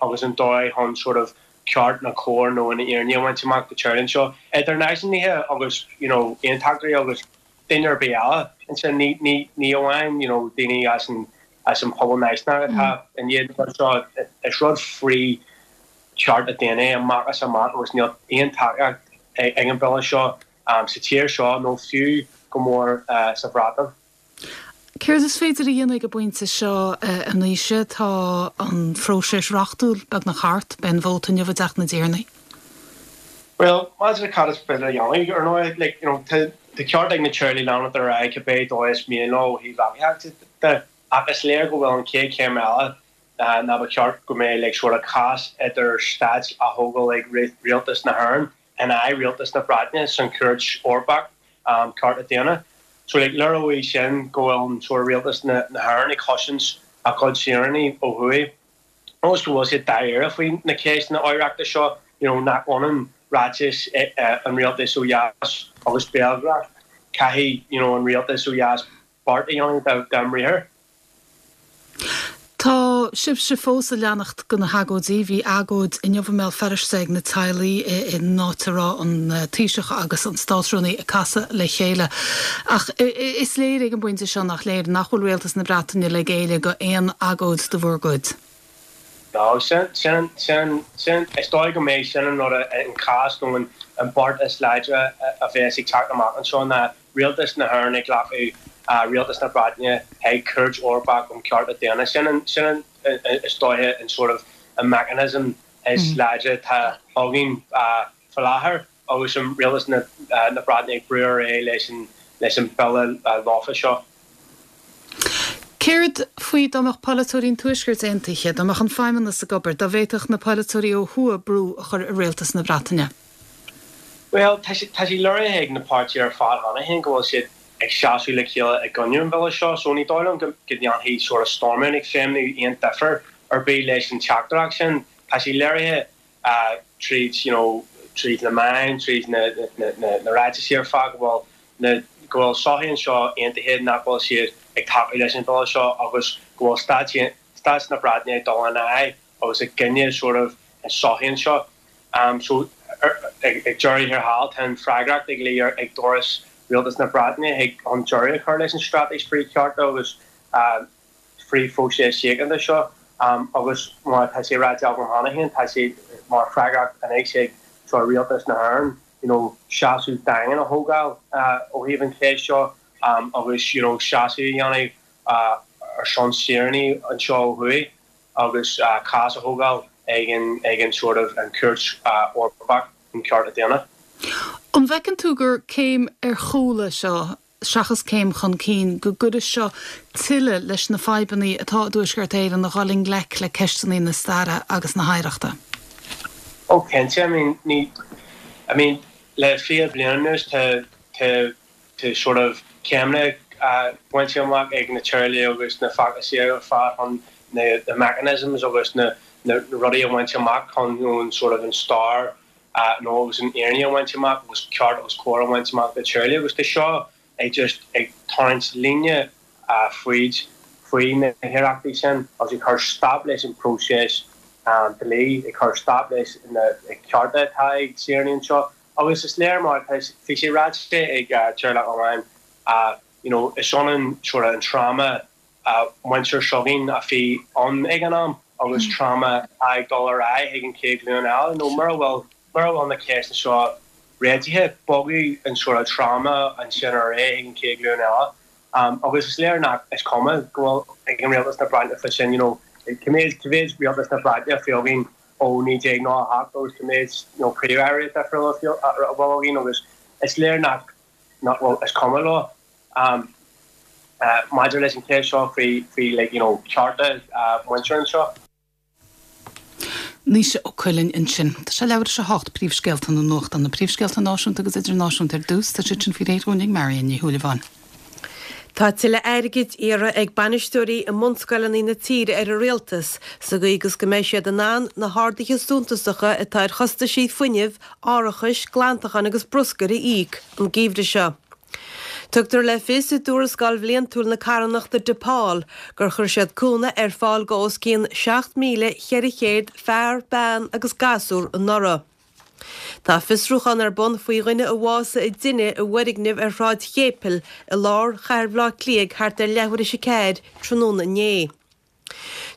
agus an dóigh chun sort of ceart nó cóir nó an fhírinne a bhaint amach do teaghlaigh anseo, idir náisiúnaithe agus you know aontachtóirí agus duine ar bith eile ansin. Ní ní ní amháin you know daoine as an as an pobal náisiúnach atá in éadan an rud seo. Is rud frith chearta daonna é amach is amach agus níl aon tacaíocht ag an bhille seo sa tír seo nó fiú go mór sa Bhreatain. Céard is féidir a dhéanamh ag an bpointe seo, a Naoise? Tá an phróiseas reachtúil beagnach thart. Beidh an vóta inniu i dTeach na dTiarnaí. Bhuel, maidir le cad is féidir a dhéanamh, ar ndóigh, like, you know, tá ceart ag na teaghlaigh leanacht ar aghaidh cibé dóigh is mian leo ó thaobh reachtaíochta de, ach is léir go bhfuil an chéad chéim eile ná ba cheart go mbeadh like sort of cás idir stáit á thógáil ag rialtas na hÉireann in aghaidh rialtas na Breataine san Chúirt Eorpach um Cearta Daonna. So like léireoidh sin go bhfuil an sort of rialtas na hÉireann ag cosaint a gcuid saoránaigh ó thuaidh agus go bhfuil siad dáiríre faoi na ceisteanna oidhreachta seo, you know nach ionann ráitis an rialtais ó dheas agus béalghrá. Caithfidh you know an rialtas ó dheas beart a dhéanamh dá mbriathar. Tá sibhse fós ag leanacht de na hagóidí. Bhí agóid inniu i mBéal Feirste ag na teaghlaigh in áit a raibh an Taoiseach agus an Státrúnaí ag casadh le chéile. Ach is léir ag an bpointe seo, nach léir, nach bhfuil Rialtas na Breataine le géilleadh go aon agóid de bhur gcuid. No, sin, sin, sin, sin, is dóigh go mbeidh sin an rud, an cás nó an beart is láidre a bheas ag teacht amach anseo ná Rialtas na hÉireann ag glacadh Rialtas na Breataine chuig Cúirt Eorpach um Chearta Daonna. Sin an, sin an, is dóiche an sort of an mechanism is láidre atá againn faoi láthair agus an Rialtas na Breataine ag brú ar aghaidh leis an, leis an bille lofa seo. Céard faoi dá mbeadh polaiteoirí an Tuaiscirt aontaithe, dá mbeadh an Feidhmeannas ag obair, dá bhféadfadh na polaiteoirí ó thuaidh brú a chur ar Rialtas na Breataine? Bhuel, tá sé, tá sé léirithe ag na páirtithe ar fad cheana féin go bhfuil siad ag seasamh le chéile i gcoinne an bhille seo, so ní dóigh liom go ndéanfaidh sort of Stormont ag feidhmiú aon difear ar bith leis an teachtaireacht sin. Tá sé léirithe tríd, you know, tríd na meáin, tríd na, na, na, na ráitisí ar fad go bhfuil na, go bhfuil sochaí anseo aontaithe nach bhfuil siad ag tacú leis an bhille seo agus go bhfuil stáit, stáit na Breataine ag dul in aghaidh agus i gcoinne sort of an sochaí anseo. So ag deireadh thiar thall tá an freagracht ag luí ar ag doras Rialtas na Breataine chuig chun deireadh a chur leis an straitéis frith-chearta agus frith-phróiseas síochánta seo agus mar atá sé ráite agam cheana féin tá sé mar freagracht anois ag sort of Rialtas na hÉireann you know seasamh daingean a thógáil ó thaobh an cheist seo agus you know seasamh a dhéanamh ar son saoránaigh anseo ó thuaidh. agus cás a thógáil ag an ag an sort of an Chúirt Eorpach um Chearta Daonna. An bhfeiceann tú gur céim ar chúl é seo? seachas céim chun cinn, go gcuirfidh seo tuilleadh leis na fadhbanna atá i dTuaisceart Éireann a dhul i ngleic le ceisteanna na staire agus na hoidhreachta. Ó cinnte, I mean, ní, I mean, le 20 bliain anuas tá, tá, tá sort of céimeanna bainte amach ag na teaghlaigh agus na feachtasaí ar fad chun na, na mechanisms agus na, na rudaí a bhaint amach chun, you know, an sort of an stair nó agus an fhírinne a bhaint amach agus ceart agus cóir a bhaint amach do teaghlaigh agus tá seo ag just ag tarraingt líne fríd faoi na hiarrachtaí sin agus ag cur stop leis an próiseas dlí, ag cur stop leis na cearta atá ag saoránaigh anseo agus is léir mar tá bhí sé ráite ag teaghlach amháin you know is ionann sort of an trauma muintir s'againn a bhí ann ag an am agus trauma atá ag dul ar aghaidh chuig an chéad ghlúin eile nó mura bhfuil mura bhfuil na ceisteanna seo réitithe, bogfaidh an sort of trauma ansin ar aghaidh chuig an chéad ghlúin eile. Agus is léir nach is cuma go bhfuil ag an Rialtas na Breataine fá sin, you know, cá mhéad cá mhéad Rialtas na Breataine a bhí againn ó 1998 agus cá mhéad you know Príomh-Airí difriúla a bhfuil againn agus is léir nach nach bhfuil is cuma leo. Maidir leis an cheist seo faoi faoi like you know cearta muintir anseo. Naoise Ó Cuilinn ansin. Tá sé leathuair tar éis a 8, príomhscéalta na nuachta, na príomhscéalta náisiúnta agus idirnáisiúnta ar dtús, tá siad sin faoi réir dhúinn ag Marion Ní Shúilleabháin. Tá tuilleadh airgid iarrtha ag bainisteoirí i mbunscoileanna na tíre ar an Rialtas sa gcaoi agus go mbeidh siad in ann na harduithe suntasacha atá ar chostaisí fuinnimh, árachais, glantacháin agus bruscair a íoc an geimhreadh seo. Tugtar le fios i dtuarascáil bhliantúil na carthanachta Depaul gur chuir siad cúnamh ar fáil go os cionn 7,400 fear, bean agus gasúr anuraidh. Tá fiosrúchán ar bun faoi dhuine a bhásaigh i dtine i bhfoirgneamh ar Shráid Chéipil i lár chathair Bhaile Átha Cliath ag thart ar leathuair théis a ceathair tráthnóna inné.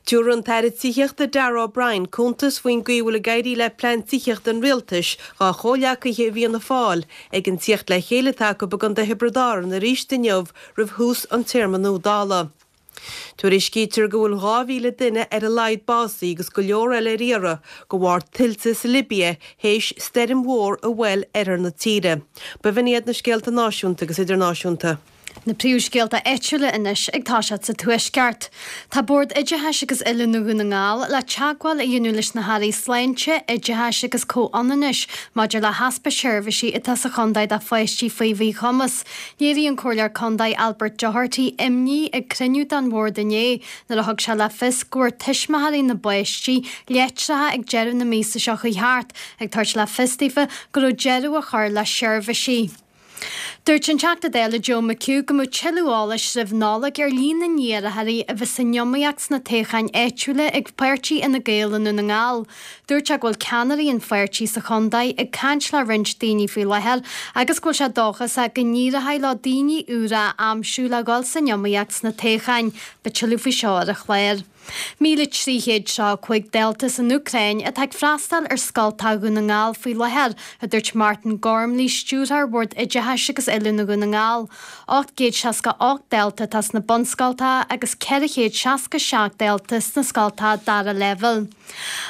Tabharfaidh an tAire Tithíochta Darragh O'Brien cuntas faoin gcaoi a bhfuil ag éirí le plean tithíochta an Rialtais dá chomhghleacaithe i bhFianna Fáil ag an tíocht le chéile atá acu i gContae Thiobraid Árann arís inniu roimh thús an téarma nua Dála. Tuairiscítear go bhfuil 2,000 duine ar a laghad básaithe agus go leor eile ar iarraidh de bharr tuilte sa Libia théis stoirm mhór a bhuail oirthear na tíre. B'in iad na scéalta náisiúnta agus idirnáisiúnta. Na príomhscéalta áitiúla anois ag toiseacht sa Tuaisceart. Tá Bord Oideachais agus Oiliúna Dhún na nGall le teagmháil a dhéanamh leis na hAirí Sláinte, Oideachais agus Comhionannais maidir le heaspa seirbhísí atá sa chontae do pháistí faoi mhíchumas. Léirigh an Comhairleoir Contae Albert Doherty imní ag cruinniú den Bhord inné nuair a thug sé le fios go bhfuair tuismitheoirí na bpáistí litreacha ag deireadh na míosa seo chuaigh thart ag tabhairt le fios daofa go raibh deireadh á chur le seirbhísí. Dúirt an Teachta Dála Joe McHugh go mbeadh tuilleadh eolais roimh Nollaig ar líon na n-iarrthóirí a bheas san iomaíocht sna toghcháin áitiúla ag páirtí Fhine Gael i nDún na nGall. Dúirt sé go bhfuil ceannairí an pháirtí sa chontae ag caint le roinnt daoine faoi láthair agus go bhfuil sé dóchasach go n-éireoidh leo daoine úra a aimsiú le dhul san iomaíocht sna toghcháin. Beidh tuilleadh faoi seo ar an chlár. 1,335 dalta san Úcráin atá ag freastal ar scoltacha Dhún na nGall faoi láthair, a dúirt Martin Gormley, Stiúrthóir Bhord Oideachais agus Oiliúna Dhún na nGall. 868 dalta atá sna bunscoltacha agus 467 dalta sna scoltacha dara leibhéal.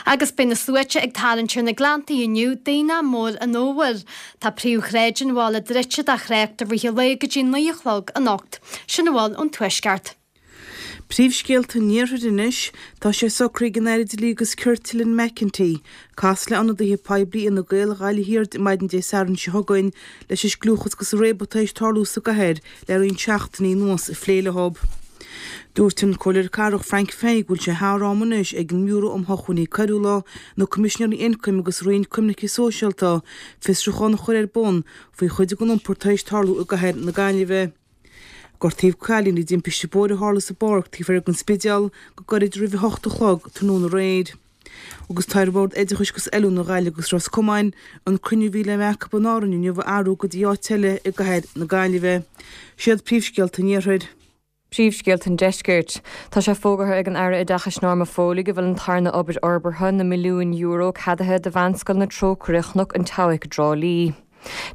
Agus beidh na sluaite ag tarraingt ar na Gleanntaí inniu d'Aonach Mór an Fhómhair. Tá príomhshráid an bhaile druidte do thrácht i rith an lae go dtí 9 a chlog anocht. Sin a bhfuil ón Tuaisceart. Príomhscéalta an Iarthair anois, tá sé socraithe ag an Aire Dlí agus Cirt Lynn McEntee casadh le ionadaithe poiblí Fhine Gael Ghaillimh Thiar maidin Dé Sathairn seo chugainn leis an scliúchas agus an réabadh atá théis tarlú sa gcathair le roinnt seachtainí anuas a phlé leo. Dúirt an Comhairleoir Cathrach Frank Fahey go bhfuil sé thar am anois ag an mBiúró um Shócmhainní Coiriúla, na Coimisinéirí Ioncaim agus Roinn Coimirce Sóisialta fiosrúchán a chur ar bun faoi chuid den iompar atá théis tarlú i gcathair na Gaillimhe. Gortaíodh cailín i dtimpiste bóthair a tharla sa bpáirc taobh thoir den Spidéal go gairid roimh a hocht a chlog tráthnóna aréir. Agus tá ar Bhord Oideachais agus Oiliúna Ghaillimh agus Ros Comáin an cruinniú a bhí le bheith acu in Árainn inniu a athrú go dtí áit eile i gcathair na Gaillimhe. Siad príomhscéalta an Iarthair. Príomhscéalta an Deiscirt. Tá sé fógartha ag an Aire Oideachais Norma Foley go bhfuil an tarna obair fhorbartha, na milliúin euro, ceadaithe do Mheánscoil na Trócaire, Chnoc an tSeabhaic i dTrá Lí.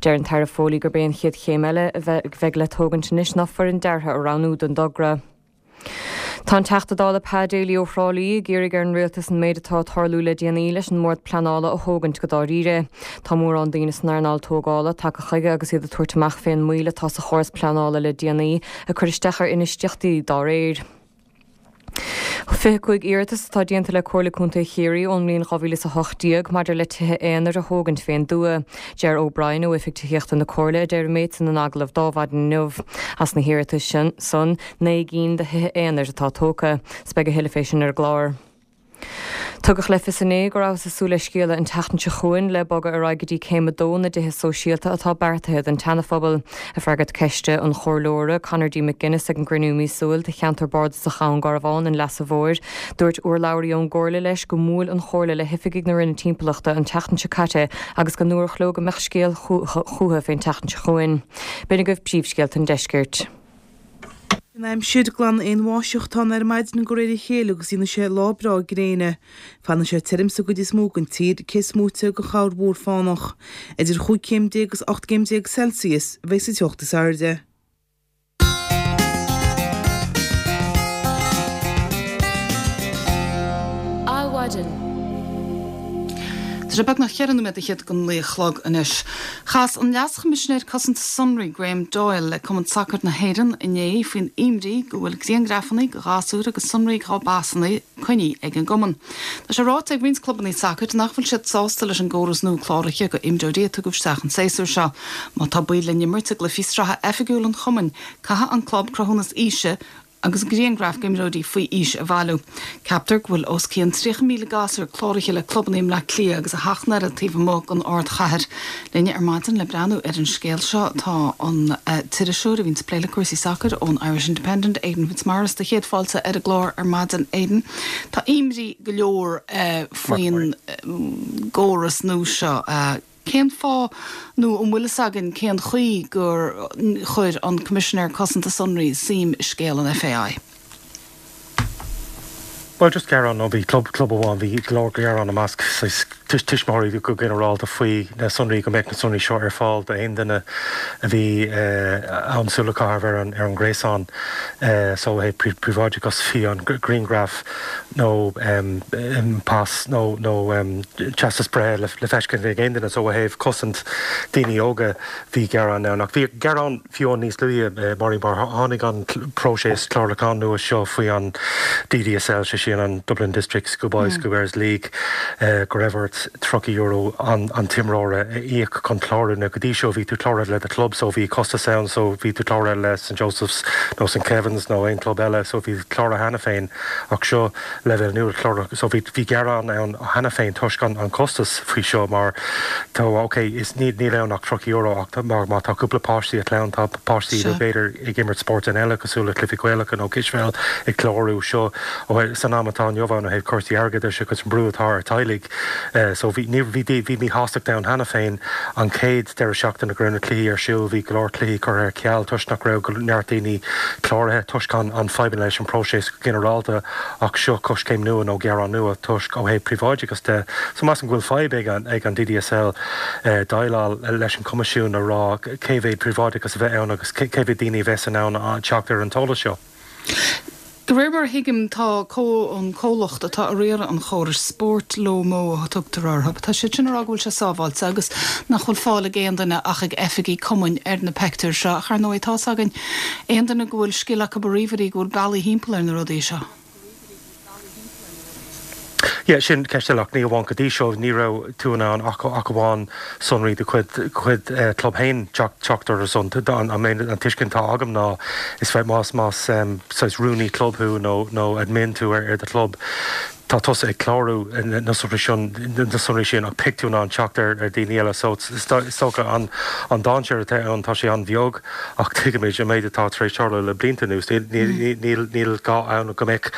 Deir an tAire Foley gurb é an chéad chéim eile a bheidh le tógaint anois ná foireann deartha a roghnú don dtogra. Tá an Teachta Dála Pa Daly ó Thrá Lí ag iarraidh ar an Rialtas an méid atá ag tarlú le déanaí leis an mBord Pleanála a thógaint go dáiríre. Tá mórán daoine san earnáil tógála tagtha chuige agus iad ag tabhairt amach fén moill atá sa chóras pleanála le déanaí ag cur isteach ar infheistíochtaí dá réir. 25 iarratas atá déanta le Comhairle Contae Chiarraí ón mbliain 2018 maidir le tithe aonair a thógaint fén dtuath. Ger O'Brien ó Oifig Tithíochta na Comhairle a deir an méid san in agallamh d'Adhmhaidin inniu. As na hiarratais san, 9 gcinn de thithe aonair atá tógtha. 'S beidh a thuilleadh fé sin ar an gclár. Tugadh le fios inné go rabhthas ag súil le scéala an tseachtain seo chugainn le bogadh ar aghaidh go dtí céim a dó na dtithe sóisialta atá beartaithe don tSeanaphobal. Ag freagairt ceiste an Chomhairleora Conor D McGuinness ag an gcruinniú míosúil de cheantar bardasach Dhún Garbhán, an Leasa Mhóir, dúirt urlabhraí ón gComhairle leis go mbuail an Chomhairle le hoifigigh na Roinne Timpeallachta an tseachtain seo caite agus go ndúradh leo go mbeadh scéal chucu fén tseachtain seo chugainn. B'in agaibh príomhscéalta an deiscirt. An aimsir, Glanfaidh an bháisteach atá ann ar maidin de réir a chéile agus déanfaidh sé lá breá gréine. Fanfaidh sé tirim sa gcuid is mó den tír, cé is móite de chorrmhúr fánach. Idir chúig chéim déag agus 18 gcéim Celsius a bheidh sa teocht is airde. Adhmhaidin. Tá sé beagnach cheithre nóiméad fhichead don naoi a chlog anois. Chas an Leas-Choimisinéir Cosanta Sonraí Graham Doyle le Cumann Sacair na hÉireann inné faoin imní go bhfuil grianghrafanna de ghasúir agus sonraí dá bpasanna coinnithe ag an gcumann. Tá sé ráite ag roinnt clubanna sacair nach bhfuil siad sásta leis an gcóras nua cláraithe do imreoirí a tugadh isteach an séasúr seo. Má tá baill le n-imirt i gcluichí sraithe oifigiúil an chumainn, caithfidh an club cruthúnas aoise agus grianghraif d'imreoirí faoi aois a bhailiú. Ceaptar go bhfuil os cionn 30,000 gasúr cláraithe le clubanna i mBleá Cliath agus a sheacht n-oiread taobh amuigh den ardchathair. Linn ar maidin le breathnú ar an scéal seo tá an t-iriseoir a bhíonns ag plé le cúrsaí sacair ón Irish Independent, Aidan Fitzmaurice. Do chéad fáilte ar an gclár ar maidin, Aidan. Tá imní go leor faoin gcóras nua seo. Cén fáth, nó an bhfuil fhios againn cén chaoi gur chuir an Coimisinéir Cosanta Sonraí suim i scéal an FAI? Bhuel, just gearán, nó bhí club, club amháin, bhí go leor gearán i measc saghas tuismitheoirí go ginearálta faoi na sonraí, go mbeadh na sonraí seo ar fáil d'aon duine a bhí ann súil a chaitheamh ar an, ar an ngréasán. So, ó thaobh príobháideachas, bhí an grianghraf nó pas nó nó teastas breithe le feiscint ag aon duine so ó thaobh cosaint daoine óga bhí gearán ann. Ach bhí gearán fiú níos luaithe Máirín mar tháinig an próiseas clárúcháin nua seo faoi an DDSL, sé sin an Dublin District Schoolboys Schoolgirls League, go raibh ort €30 an an t-imreora a íoc chun clárú. Now go dtí seo bhí tú cláraithe le do chlub so bhí costas ann so bhí tú cláraithe le St Joseph's nó St Kevin's nó aon chlub eile so bhí cláraithe cheana féin. Ach seo leibhéal nua clárúcháin so bhí bhí gearán ann cheana féin toisc an an costas faoi seo mar tá ok is níl níl ann ach €30 ach má má tá cúpla páistí i gclann tá páistí nó b'fhéidir ag imirt spóirt eile cosúil le cluichí Gaelacha nó cispheil ag clárú seo ó san am atá inniu ann ó thaobh cúrsaí airgeadais agus an brú atá ar teaghlaigh so bhí ní bhí bhí míshástacht ann cheana féin an chéad deireadh seachtaine go raibh na cluichí ar siúl bhí go leor cluichí curtha ar ceal toisc nach raibh go neart daoine cláraithe toisc an an fadhbanna leis an bpróiseas go ginearálta ach seo coiscéim nua nó gearán nua toisc ó thaobh príobháideachas de so measaim go bhfuil fadhb ag an ag an DDSL déileáil leis an Coimisiún a rá cé mhéad príobháideachas a bheith ann agus cé mhéad daoine a bheas in ann teacht ar an t-eolas seo. De réir mar a thuigim, tá an comhlacht atá ag riaradh an chórais, SportLomo a tugtar orthu, tá siad sin ag rá go bhfuil sé sábháilte agus nach bhfuil fáil ag aon duine ach ag oifigigh cumainn ar na peictiúir seo. Ach ar ndóigh, tá's againn, aon duine go bhfuil scil acu i ríomhairí go bhfuil bealaí thimpeall ar na rudaí seo. Yeah, sin ceist eile ach ní amháin go dtí seo, ní raibh tú in ann ach ach amháin sonraí do chuid chuid club féin teacht orthu san. An an tuiscint atá agam ná is féidir más más saghas rúnaí club thú nó nó admin tú ar ar do chlub, tá tusa ag clárú na sonraí sin na sonraí sin ach beidh tú in ann teacht ar ar daoine eile so is dócha an an dainséar atá ann tá sé an-bheag. Ach tuigimid an méid atá tar éis tarlú le blianta anuas. Níl gá ann go mbeadh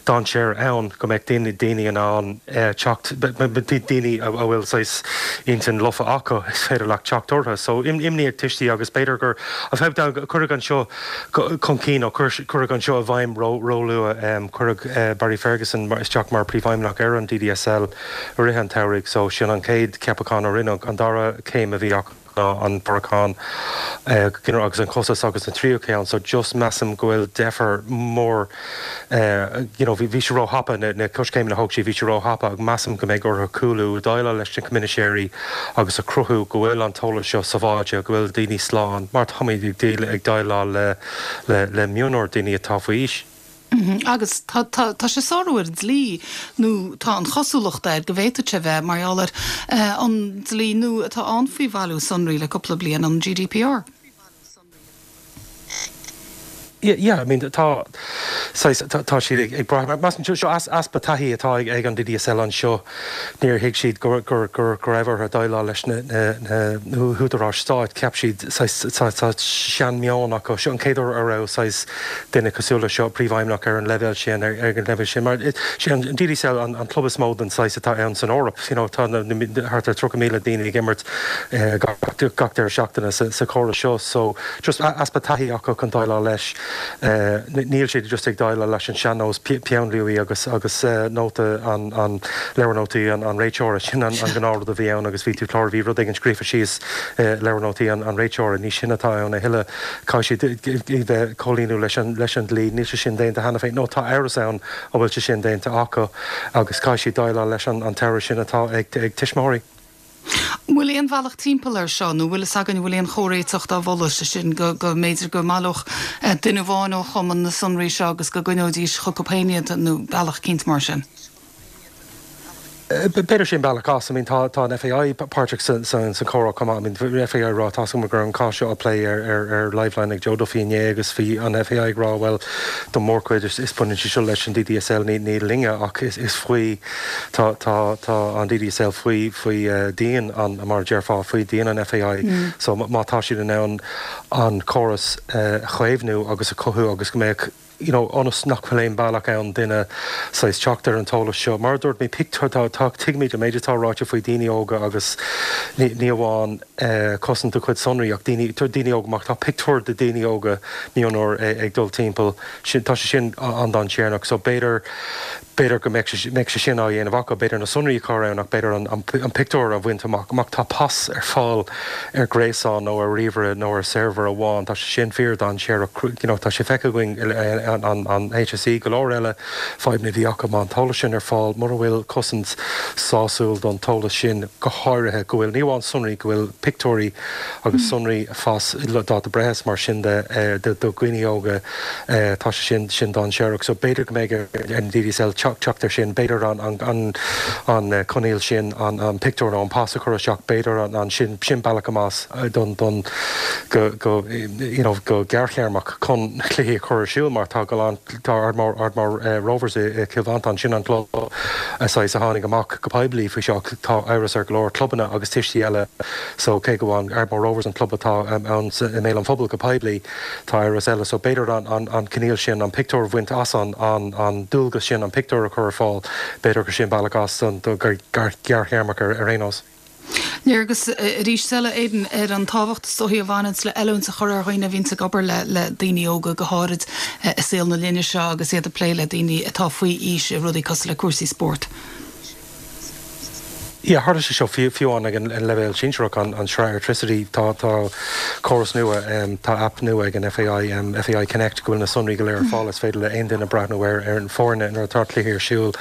dainséar ann, go mbeadh daoine in ann teacht, daoine a bhfuil saghas intinn lofa acu, is féidir leat teacht orthu. So imní ag tuistí agus b'fhéidir gur cuireadh an seo chun cinn nó cuireadh an seo i bhfeidhm róluath. Cuireadh Barry Ferguson isteach mar Príomhfheidhmeannach ar an DDSL i rith an tsamhraidh so sin an chéad cheapachán a rinneadh. An dara céim a bhí acu. ná an puracán agus an costas agus an tríú ceann so just measaim go bhfuil deifir mór you know bhí sé ró-thapa na coiscéimeanna a thóg siad bhí sé ró-thapa agus measaim go mbeidh orthu cúlú déileáil leis na coimisinéirí agus a chruthú go bhfuil an t-eolas seo sábháilte go bhfuil daoine slán mar táimid ag déileáil le le le mionúir daoine atá faoi aois. Agus tá tá tá sé ag sárú ar an dlí, nó tá an chosúlacht air go bhféadfadh sé bheith, mar gheall ar an dlí nua atá ann faoi bhailiú sonraí le cúpla bliain, an GDPR. Yeah, I mean tá saghas tá siad ag ag brath measaim seo easpa taithí atá ag ag an DDSL anseo. Níor thuig siad go go go go raibh orthu déileáil leis na na na húdaráis stáit. Cheap siad saghas tá tá seanmheon acu. Seo an chéad uair a raibh saghas duine cosúil le seo, príomhfheidhmeannach ar an leibhéal sin, ar an leibhéal sin. Mar sé an DDSL an an club is mó den saghas atá ann san Eoraip. You know tá na na thart ar 30,000 daoine ag imirt gach gach deireadh seachtaine sa sa chóras seo. So just easpa taithí acu chun déileáil leis. Níl siad just ag déileáil leis an sean-nós, peann luaidhe agus agus nóta an an leabhar nótaí an an réiteora. Sin an an gnáthrud a bhí ann agus bhí tú clár bhí rud éigin scríofa síos i leabhar nótaí an an réiteora. Ní sin atá ann a thuilleadh. Caithfidh siad bheith comhlíonadh leis an leis an dlí. Níl sé sin déanta cheana féin nó tá amhras ann an bhfuil sé sin déanta acu agus caithfidh siad déileáil leis an an t-amhras sin atá ag ag tuismitheoirí. An bhfuil aon bhealach timpeall air seo nó bhfuil fhios againn an bhfuil aon chomhréiteach dá mholadh, sé sin go go mb'fhéidir go mbaileodh duine amháin ó chumann na sonraí seo agus go gcoinneoidís chucu féin iad nó bealach eicínt mar sin? B'fhéidir sin bealach as. I mean tá tá an FAI páirteach sa sa sa chomhrá chomh maith. I mean bhí FAI ag rá tá 's agam go raibh an cás seo á plé ar ar ar Liveline ag Joe Duffy inné agus bhí an FAI ag rá bhuel don mórchuid is is baineann sé seo leis an DDSL ní ní linne ach is is faoi Tá, tá, tá an DDSL faoi, faoi dhíon an, mar a déarfá, faoi dhíon an FAI. So má tá siad in ann an córas a chaomhnú agus a chothú agus go mbeadh, you know, ionas nach bhfuil aon bealach ann duine saghas teacht ar an t-eolas seo. Mar a dúirt mé, pictiúr, tá, tá, tuigimid an méid atá ráite faoi daoine óga agus ní, ní amháin cosaint a gcuid sonraí ach daoine, daoine óga, má tá pictiúr de daoine óga mionúir ag dul timpeall, sin, tá sé sin an-dainséarach. So b'fhéidir, B'fhéidir go mbeadh sé sin á dhéanamh acu, b'fhéidir na sonraí a chur ann ach b'fhéidir an pictiúr a bhaint amach. Má tá pas ar fáil ar ghréasán nó ar ríomhaire nó ar server amháin, tá sé sin fíor-dainséarach. You know, tá sé feicthe againn an HSE, go leor eile fadhbanna a bhí acu má an t-eolas sin ar fáil, mura bhfuil cosaint sásúil don t-eolas sin, go háirithe go bhfuil, ní amháin sonraí, go bhfuil pictiúirí agus sonraí phas, dáta breithe is mar sin de do dhaoine óga. Tá sé sin sin dainséarach. So b'fhéidir go mbeidh ar an DDSL teacht air sin, b'fhéidir an an an coinníoll sin an an pictiúr nó an pas a chur isteach, b'fhéidir an an sin sin bealach amach don don go go you know go gearrthéarmach chun cluichí a chur ar siúl mar tá go lán tá Ardmore Ardmore Rovers i i Cill Mhantáin sin an club saghas a tháinig amach go poiblí faoi seo tá amhras ar go leor clubanna agus tuistí eile so cé go bhfuil Ardmore Rovers an club atá ann i mbéal an phobail go poiblí Tá amhras eile, so b'fhéidir an coinníoll sin, an pictiúr a bhaint as an an dualgas sin, an pictiúr a chur ar fáil, b'fhéidir gur sin bealach as don ghearrthéarmach ar aon nós. Léargas arís eile, Aidan, ar an tábhacht is dóichí a bhaineanns le oiliúint a chur ar dhaoine a bhíonns ag obair le le daoine óga, go háirid i saol na linne seo agus iad ag plé le daoine atá faoi aois i rudaí cosúil le cúrsaí spóirt. Yeah, tharla sé seo fiú amháin ag an leibhéal sinsearach, an sraith Airtricity, tá tá córas nua, tá aip nua ag an FAI, FAI Connect, go bhfuil na sonraí go léir ar fáil, is féidir le aon duine breathnú ar ar an foirne nuair atá cluichí ar siúl.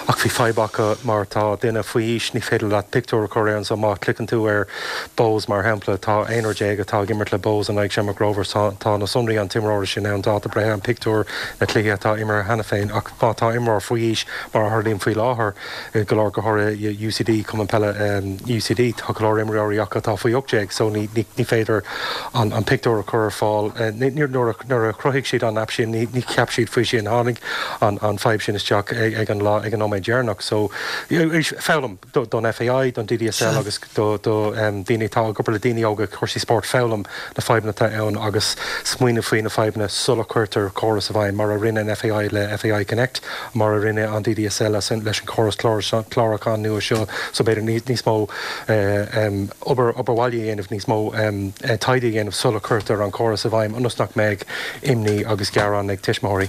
Ach bhí fadhb acu mar tá duine faoi aois, ní féidir leat pictiúr a chur ann, so má chliceann tú ar Bohs mar shampla, tá aonrar déag atá ag imirt le Bohs in aghaidh Shamrock Rovers, tá tá na sonraí an t-imreora sin ann, dáta breithe, an pictiúr, na cluichí atá imeartha cheana féin, ach má tá imreoir faoi aois, mar a tharlaíonn faoi láthair, i go leor go háirithe UCD, Cumann Peile UCD, tá go leor imreoirí acu atá faoi 18 so ní féidir an pictiúr a chur ar fáil. Nuair a chruthaigh siad an aip sin ní cheap siad faoi sin, tháinig an fadhb sin isteach ag an lá, ag an nóiméad deireanach. So foghlaim don FAI, don DDSL agus do daoine atá ag obair le daoine óga, cúrsaí spóirt, foghlaim na fadhbanna atá ann agus smaoineamh faoi na fadhbanna sula cuirtear córas i bhfeidhm, mar a rinne an FAI le FAI Connect. mar a rinne an DDSL leis an chóras clárúcháin nua seo, so b'fhéidir níos mó obair obair bhaile a dhéanamh, níos mó taighde a dhéanamh sula cuirtear an córas i bhfeidhm ionas nach mbeidh imní agus gearán ag tuismitheoirí.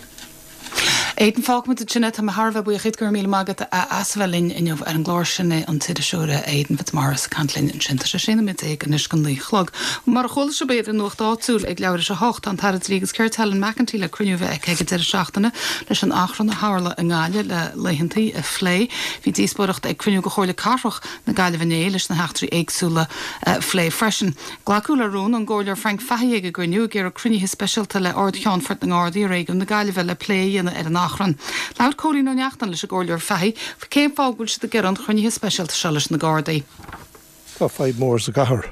Aidan, fágfaimid ansin é. Tá mé thar a bheith buíoch díot, go raibh míle maith agat as a bheith linn inniu ar an gclár. Sin é an t-iriseoir Aidan Fitzmaurice ag caint linn ansin. Tá sé 16 nóiméad anois go 9 a chlog. Mar a chuala sibh b'fhéidir ar an Nuacht Áitiúil ag leathuair tar éis a hocht, tá an tAire Dlí agus Cirt Helen McEntee le cruinniú a bheith aici ag an deireadh seachtaine leis an achrann a tharla i nGaillimh le laethantaí a phlé. Bhí díospóireacht ag cruinniú de Chomhairle Cathrach na Gaillimhe inné leis na heachtraí éagsúla a phlé freisin. Glacadh le rún ón gComhairleoir Frank Fahey ag an gcruinniú ag iarraidh cruinnithe speisialta le Ard-Cheannfort na nGardaí i réigiún na Gaillimhe le plé a dhéanamh ar an achrann. Labhair Cóilín Ó Neachtain leis an gComhairleoir Fahey faoi cén fáth go bhfuil siad ag iarraidh an chruinnithe speisialta seo leis na Gardaí. Tá fadhb mór sa gcathair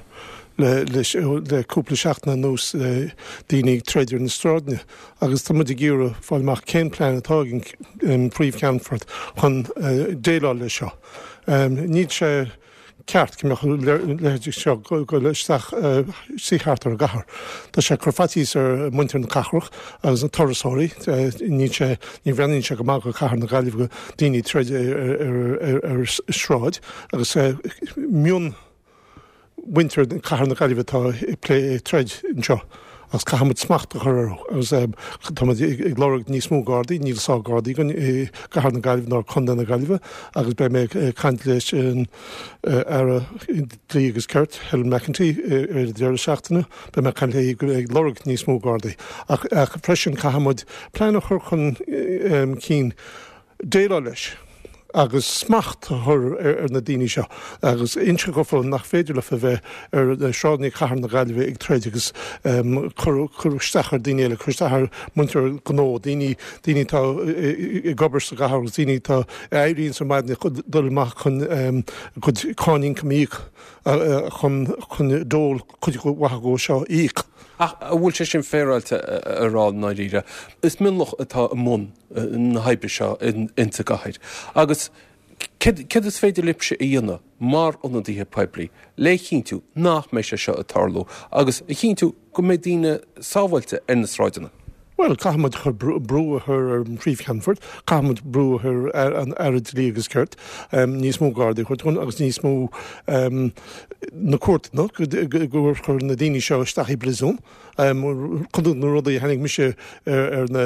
le cúpla seachtain anuas le daoine ag troid ar na sráideanna agus tá muid ag iarraidh fáil amach cén plean atá ag an Phríomh-Cheannfort chun déileáil leis seo. Níl sé ceart go mbeadh a leithéid seo ag goil isteach suí thart ar an gcathair. Tá sé ag cur faitíos ar mhuintir na cathrach agus na turasóirí. Níl sé, ní bhreathnaíonn sé go maith go cathair na Gaillimhe go daoine ag troid ar sráid agus mion mhuintir cathair na Gaillimhe atá ag troid anseo agus caithfidh muid smacht a chur orthu agus tá muid ag lorg níos mó Gardaí, níl sáith Gardaí againn i gcathair na Gaillimhe ná Contae na Gaillimhe agus beidh mé ag caint leis an Aire Dlí agus Cirt, Helen McEntee ar an deireadh seachtaine, beidh mé ag caint léi ag lorg níos mó Gardaí ach freisin caithfidh muid plean a chur chun cinn déileáil leis agus smacht a chur ar na daoine seo agus inse dófa nach féidir leofa bheith ar shráideanna chathair na Gaillimhe ag troid agus cur cur isteach ar daoine eile, cur isteach ar muintir gnó, daoine daoine atá ag obair sa gcathair agus daoine atá a éiríonn ar maidin ag dul amach chun a gcuid cáin ioncaim a íoc chun chun dole cuid mhaith acu seo a íoc. Ach an bhfuil sé sin féaráilte a rá i ndáiríre? Is mionlach atá i mbun na hoibre seo insa gcathair. Agus céard is féidir libhse a dhéanamh mar ionadaithe poiblí le chinntiú nach mbeidh sé seo ag tarlú agus a chinntiú go mbeidh daoine sábháilte ar na sráideanna? Bhuel, caithfidh muid chur brú a chur ar an Phríomh-Cheannfort, caithfidh muid brú a chur ar an Aire Dlí agus Cirt, níos mó Gardaí a chur chun agus níos mó na cúirteanna go gcuirfear na daoine seo isteach i bpríosún. Cuid de na rudaí a chonaic mise ar na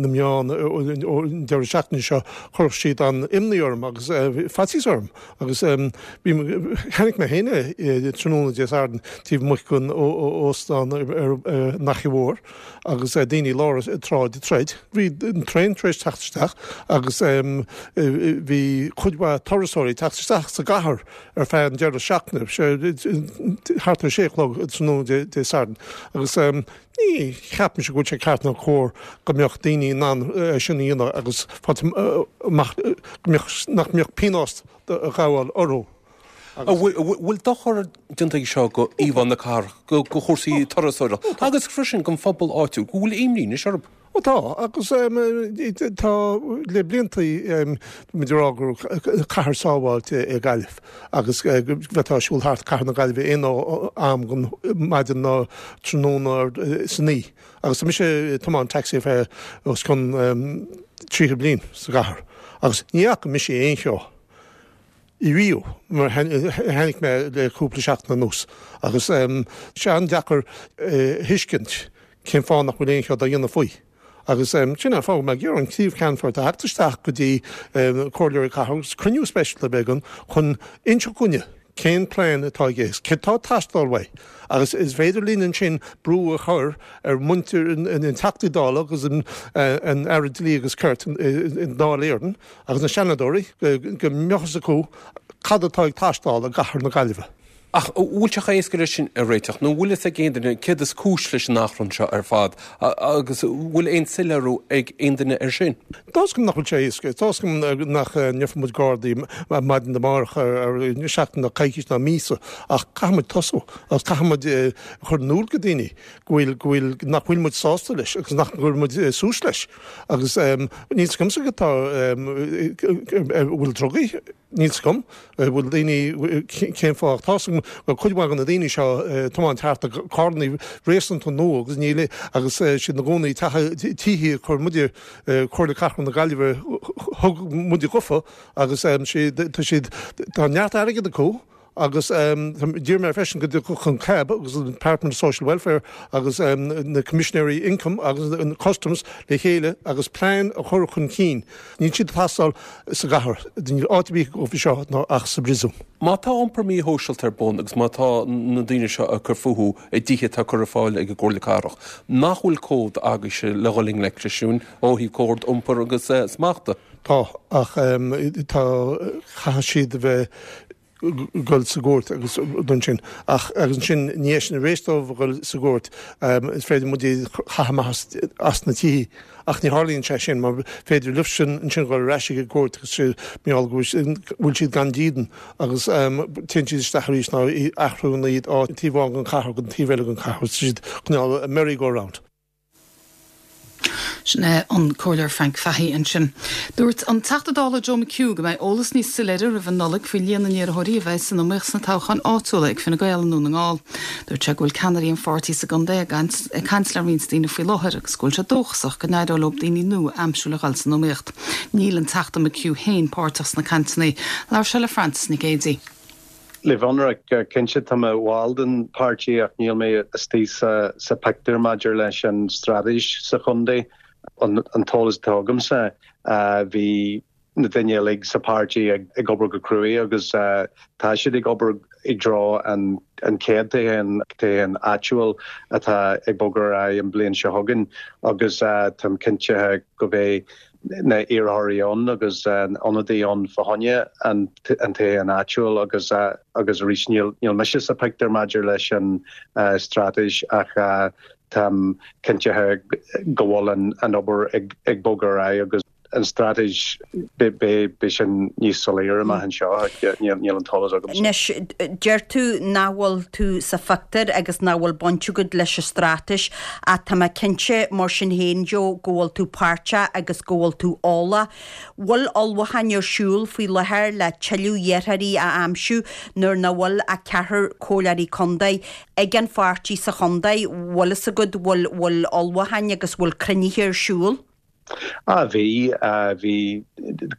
meáin an deireadh seachtaine seo, chuir siad an-imní orm agus faitíos orm. Agus chonaic mé féin é tráthnóna Dé Sathairn taobh amuigh den óstán ar an Fhaiche Mhór agus daoine i lár an tsráid ag troid. Bhí an traein tar éis teacht isteach agus bhí cuid mhaith turasóirí ag teacht isteach sa gcathair ar feadh an deireadh seachtaine, thart ar sé a chlog tráthnóna Dé Sathairn, agus ní cheapaimse go bhfuil sé ceart ná cóir go mbeadh daoine in ann é sin a dhéanamh agus fáilt amach go mbeadh, nach mbeadh pionós a ghabháil orthu. An bhfuil dochar déanta aige seo go íomhá na cathrach, go chúrsaí turasóireachta agus freisin don phobal áitiúil, go bhfuil imní anois orthu? Ó tá, agus tá le blianta muid ag rá gur cathair sábháilte é Gaillimh agus go bhféadfá siúl thart cathair na Gaillimhe aon am den maidin ná tráthnóna san oíche. Agus tá mise ag tiomáint taxi ar feadh os cionn 30 bliain sa gcathair agus ní fhaca mise aon cheo riamh mar a chonaic mé le cúpla seachtain anuas agus tá sé an-deacair a thuiscint cén fáth nach bhfuil aon cheo dá dhéanamh faoi. Agus sin an fáth go mbeidh mé ag iarraidh an Príomh-Cheannfort a theacht isteach go dtí Comhairleoirí Cathrach agus cruinniú speisialta a bheith againn chun inseacht dhúinne cén plean atá aige, céard atá ag teastáil uaidh agus is féidir linn ansin brú a chur ar mhuintir na Teachtaí Dála agus an Aire Dlí agus Cirt i nDáil Éireann agus na Seanadóirí go mbeadh fhios acu cad atá ag teastáil i gcathair na Gaillimhe. Ach an bhfuil sé chomh héasca leis sin a réiteach? Nó an bhfuil fhios ag aon duine céard is cúis leis an achrann seo ar fad agus an bhfuil aon soiléiriú ag aon duine air sin? Tá fhios agam nach bhfuil sé éasca. Tá fhios agam nach ndéarfaidh muid Gardaí maidin amárach ar seachtain ná coicís ná míosa ach caithfidh muid tosú agus caithfidh muid chur in iúl go daoine go bhfuil, go bhfuil, nach bhfuil muid sásta leis agus nach gcuirfidh muid suas leis. Agus níl fhios agamsa cad tá, an bhfuil drugaí, níl fhios agam, an bhfuil daoine, cén fáth, tá fhios agam go bhfuil cuid mhaith de na daoine seo ag tiomáint thart i gcarrannaí réasúnta nua agus níl, agus siad ina gcónaí i tithe a chuir muide, Comhairle Cathrach na Gaillimhe, thug muide dhofa agus tá siad, tá neart airgead acu. Agus d'iarr mé freisin go dtiocfadh an CAB agus an Department of Social Welfare agus na Coimisinéirí Ioncaim agus an Customs le chéile agus plean a chur chun cinn. Níl siad ag teastáil sa gcathair. Níl áit ar bith dóibh anseo ach sa bpríosún. Má tá iompar míshóisialta ar bun agus má tá na daoine seo ag cur fúthu i dtithe atá curtha ar fáil ag an gComhairle Cathrach, nach bhfuil cód agaibhse le dhul i ngleic leis sin ó thaobh cód iompair agus smachta? Tá, ach tá, caithfidh siad a bheith ag dul sa gcúirt agus rud ansin. Ach agus ansin ina dhiaidh sin tar éis dóibh a dhul sa gcúirt, is féidir muid iad a chaitheamh amach as na tithe. Ach ní tharlaíonn sé sin mar féidir leosan ansin dhul ar ais ag an gcúirt agus mar gheall go bhfuil siad gan dídean agus téann siad isteach arís nó athraíonn iad ó taobh amháin den chathair go an taobh eile den chathair. Tá siad cineál merry go round. Sin é an Comhairleoir Frank Fahey ansin. Dúirt an Teachta Dála Joe McHugh go mbeidh eolas níos soiléire roimh an Nollaig faoi líon na n-iarrthóirí a bheidh san iomaíocht sna toghcháin áitiúla ag Fine Gael i nDún na nGall. Dúirt sé go bhfuil ceannairí an pháirtí sa gcontae ag caint le roinnt daoine faoi láthair agus go bhfuil sé dóchasach go n-éireoidh leo daoine nua a aimsiú le dhul san iomaíocht. Níl an Teachta McHugh féin páirteach sna cainteanna. Labhair sé le Frances Nic Géadaigh. Le bheith ionraic, cinnte tá mé i bhall den páirtí ach níl mé istigh sa pictiúr maidir leis an straitéis sa chontae. An t-eolas atá agamsa, bhí na daoine uilig sa páirtí ag obair go cruaidh agus tá siad ag obair i dtreo an chéad toghchán, toghchán áitiúil atá ag bogadh ar aghaidh an bhliain seo chugainn agus táim cinnte go mbeidh na iarrthóirí ann agus an ionadaí ann fá choinne an toghchán áitiúil agus agus arís níl níl mise sa pictiúr maidir leis an straitéis ach táim cinntithe go bhfuil an an obair ag ag bogadh ar aghaidh agus an straitéis beidh beidh sin níos soiléire amach anseo ach níl níl an t-eolas agamsa. Anois deir tú nach bhfuil tú sa phictiúr agus nach bhfuil baint agat leis an straitéis Ach tá mé cinnte, mar sin féin, Joe, go bhfuil tú páirteach agus go bhfuil tú eolach. Bhfuil ullmhúcháin ar siúl faoi láthair le tuilleadh iarrthóirí a aimsiú nuair nach bhfuil ach ceathrar comhairleoirí contae ag an pháirtí sa chontae? Bhfuil fhios agat, bhfuil, bhfuil ullmhúcháin agus bhfuil cruinnithe ar siúl? Ah bhí, bhí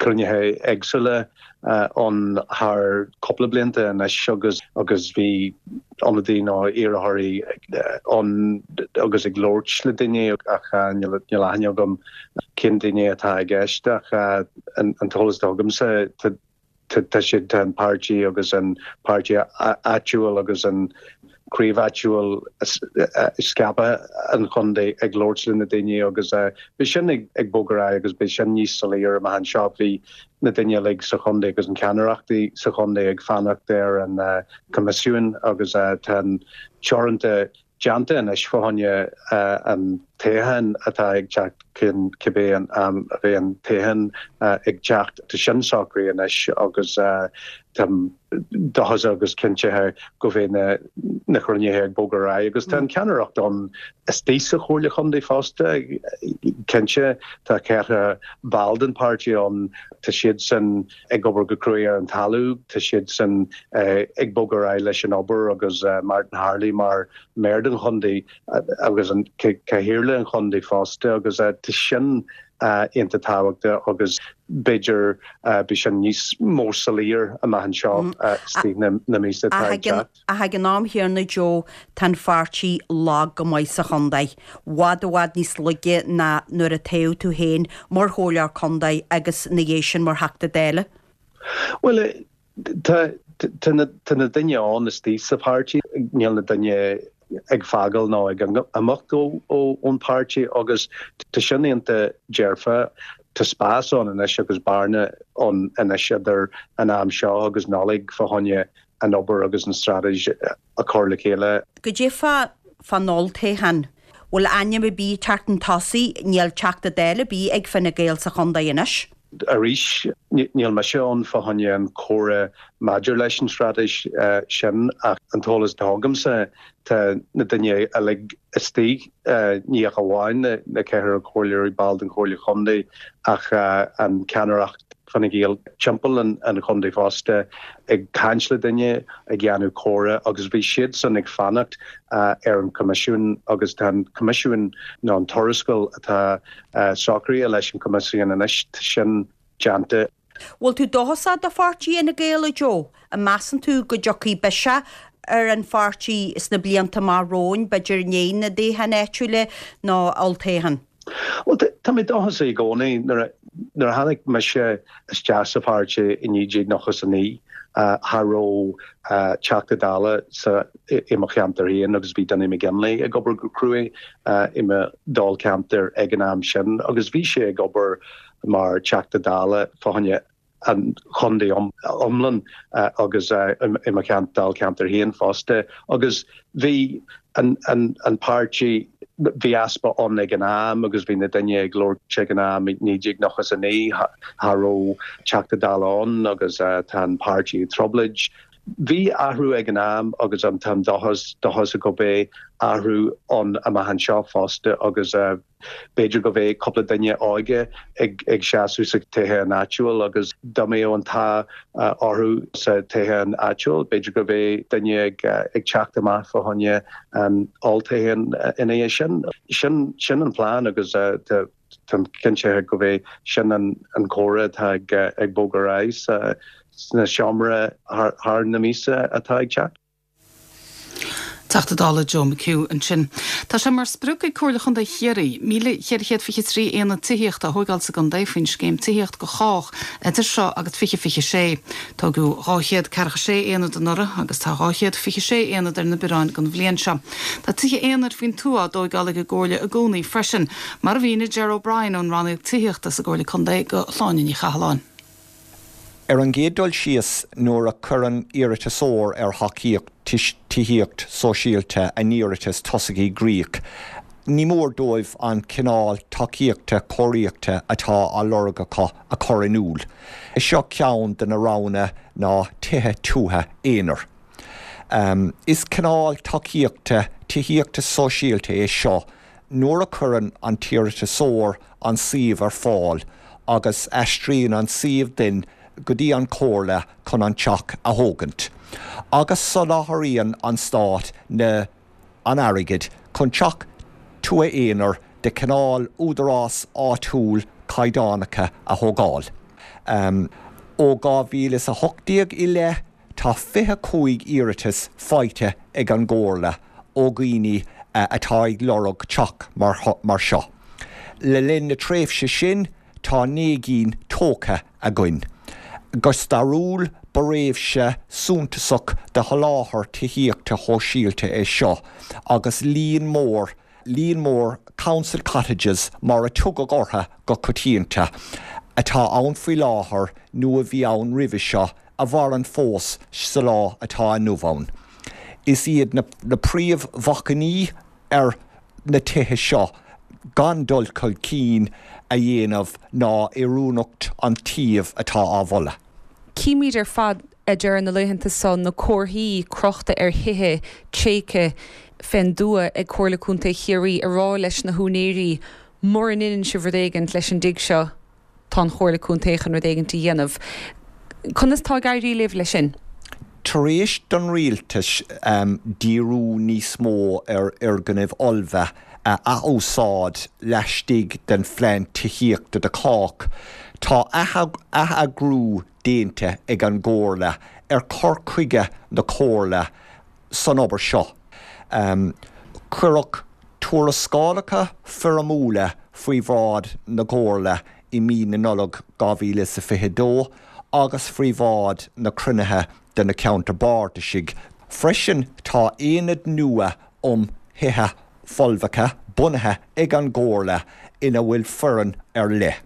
cruinnithe éagsúla ann thar cúpla blianta anois agus agus bhí ionadaí nó iarrthóirí ann agus ag labhairt le daoine ach níl níl aithne agam cén daoine atá i gceist ach an t-eolas atá agamsa tá Tá siad, tá an páirtí agus an páirtí áitiúil agus an craobh áitiúil scaipthe an chontae ag labhairt le na daoine agus beidh sin ag bogadh ar aghaidh agus beidh sin níos soiléire amach anseo. Bhí na daoine uilig sa chontae agus an ceannaireachtaí sa chontae ag fanacht ar an coimisiún agus tá an teoranta déanta anois fá choinne an toghcháin atá ag teacht chun cibé an am a bheidh an toghchán ag teacht. Tá sin socraithe anois agus táim dóchasach agus cinntithe go mbeidh na cruinnithe ag bogadh ar aghaidh agus tá an ceannaireacht ann istigh sa Chomhairle Chontae fosta. Cinnte tá ceithre ball den pháirtí ann, tá siadsan ag obair go cruaidh ar an talamh. Tá siadsan ag bogadh ar aghaidh leis an obair agus Martin Harley mar Mhéara den chontae agus an Cathaoirleach an chontae fosta agus tá sin iontach tábhachtach agus b'fhéidir beidh sin níos mó soiléir amach anseo istigh na míosa atá ag teacht. Ach ag an am chéanna Joe, tá an pháirtí lag go maith sa chontae. Bhfad i bhfad níos laige ná nuair a toghadh tú féin mar chomhairleoir contae agus ina dhiaidh sin mar Theachta Dála. Bhuel, tá tá na tá na daoine ann istigh sa pháirtí, níl na daoine ag fágáil nó ag imeacht ón páirtí agus tá sin iontach dearfa. Tá spás ann anois agus bearna ann anois idir an am seo agus Nollaig fá choinne an obair agus an straitéis a chur le chéile. Goidé fá fán olltoghchán. Bhfuil ainm ar bith ag teacht chun tosaigh? Níl Teachta Dála ar bith ag Fine Gael sa chontae anois. Arís, níl mise ann fá choinne an comhrá maidir leis an straitéis sin ach an t-eolas atá agamsa, tá na daoine uilig istigh, ní ach amháin na ceathrar comhairleoirí, ball den Chomhairle Chontae ach an ceannaireacht Fine Gael timpeall an chontae fosta ag caint le daoine, ag déanamh comhrá agus bhí siadsan ag fanacht ar an Choimisiún agus tá an Coimisiún nó an tuarascáil atá socraithe leis an Choimisiún anois, tá sin déanta. Bhfuil tú dóchasach do pháirtí Fhine Gael, a Joe? An measann tú go dtiocfaidh biseach ar an pháirtí sna blianta amach romhainn, b'fhéidir i ndiaidh na dtoghchán áitiúla nó olltoghchán? Bhuel, tá mé dóchasach i gcónaí. Nuair a tháinig mise isteach sa pháirtí i 1999, cha raibh Teachta Dála sa i mo cheantar féin agus bhí Donie McGinley ag obair go cruaidh i mo dháilcheantar ag an am sin agus bhí sé ag obair mar Teachta Dála fá choinne an chontae iomlán agus i mo dháilcheantar féin fosta agus bhí an páirtí, bhí easpa ann ag an am agus bhí na daoine ag labhairt ag an am i 1999 cha raibh Teachta Dála ann agus tá an páirtí i dtrioblóid. Bhí athrú ag an am agus táim dóchasach go mbeidh athrú ann amach anseo fosta agus B'fhéidir go mbeidh cúpla duine óige ag seasamh sa toghchán áitiúil agus dá mbeadh an t-ádh orthu sa toghchán áitiúil, b'fhéidir go mbeidh duine ag teacht amach fá choinne an olltoghchán ina dhiaidh sin. Sin sin an plean agus táim cinnte go mbeidh sin an comhrá atá ag bogadh ar aghaidh sna seomra thar na míosa atá ag teacht. Teachta Dála Joe McHugh ansin. Tá sé mar sprioc ag Comhairle Chontae Chiarraí 1,423 aonad tithíochta a thóigeáil sa gcontae faoin scéim Tithíocht do Chách idir seo agus 2026. Tógadh 246 aonad anuraidh agus tá 226 aonad ar na bioráin don bhliain seo. Tá tithe aonair faoin tuath á dtóigeáil ag an gComhairle i gcónaí freisin, mar a mhínigh Ger O'Brien ón Rannóg Tithíochta sa gComhairle Contae do Shláine Ní Chathalláin. Ar an gcéad dul síos, nuair a chuireann iarratasóir ar thacaíocht tithíocht sóisialta a n-iarratas tosaigh i gcrích, ní mór dóibh an cineál tacaíochta cóiríochta atá á lorg acu a chur in iúl. Is seo ceann de na roghanna ná tithe tuaithe aonair. Is cineál tacaíochta tithíochta sóisialta é seo nuair a chuireann an t-iarratasóir an suíomh ar fáil agus aistríonn an suíomh duinn go dtí an Chomhairle chun an teach a thógaint, agus soláthraíonn an Stát na an airgead chun teach tuaithe aonair de chineál údarás áitiúil caighdeánacha a thógáil. Ó 2018 i leith, Tá 25 iarratas faighte ag an gComhairle ó dhaoine atá ag lorg teach mar seo. Le linn na tréimhse sin, tá 9 gcinn tógtha againn. Go stairiúil, ba thréimhse suntasach de sholáthar tithíochta shóisialta é seo agus líon mór líon mór 'council cottages' mar a tugadh orthu go coitianta, atá ann faoi láthair nó a bhí ann roimhe seo, a mhaireann fós sa lá atá inniu ann. Is iad na príomhbhacainní ar na tithe seo gan dul chun cinn a dhéanamh ná oiriúnacht an tsuímh atá á mholadh. Címid ar fad a Ger na laethanta so na comharthaí crochta ar thithe tréigthe fén dtuath ag Comhairle Contae Chiarraí ag rá leis na húinéirí mura ndeineann sibh rud éigint leis an dtigh seo tá an Chomhairle Contae chun rud éigint a dhéanamh. Conas tá ag éirí libh leis sin? Tar éis don rialtas díriú níos mó ar fhoirgnimh fholmha a athúsáid laistigh den Phlean Tithíochta do Chách, tá atheagrú déanta ag an gComhairle ar chur chuige na Comhairle san obair seo. Cuireadh tuarascálacha foirmiúla faoi bhráid na Comhairle i mí na Nollag 2022 agus faoi bhráid na cruinnithe de na Ceantair Bardais. Freisin, tá aonad nua um Thithe Folmha bunaithe ag an gComhairle ina bhfuil foireann ar leith.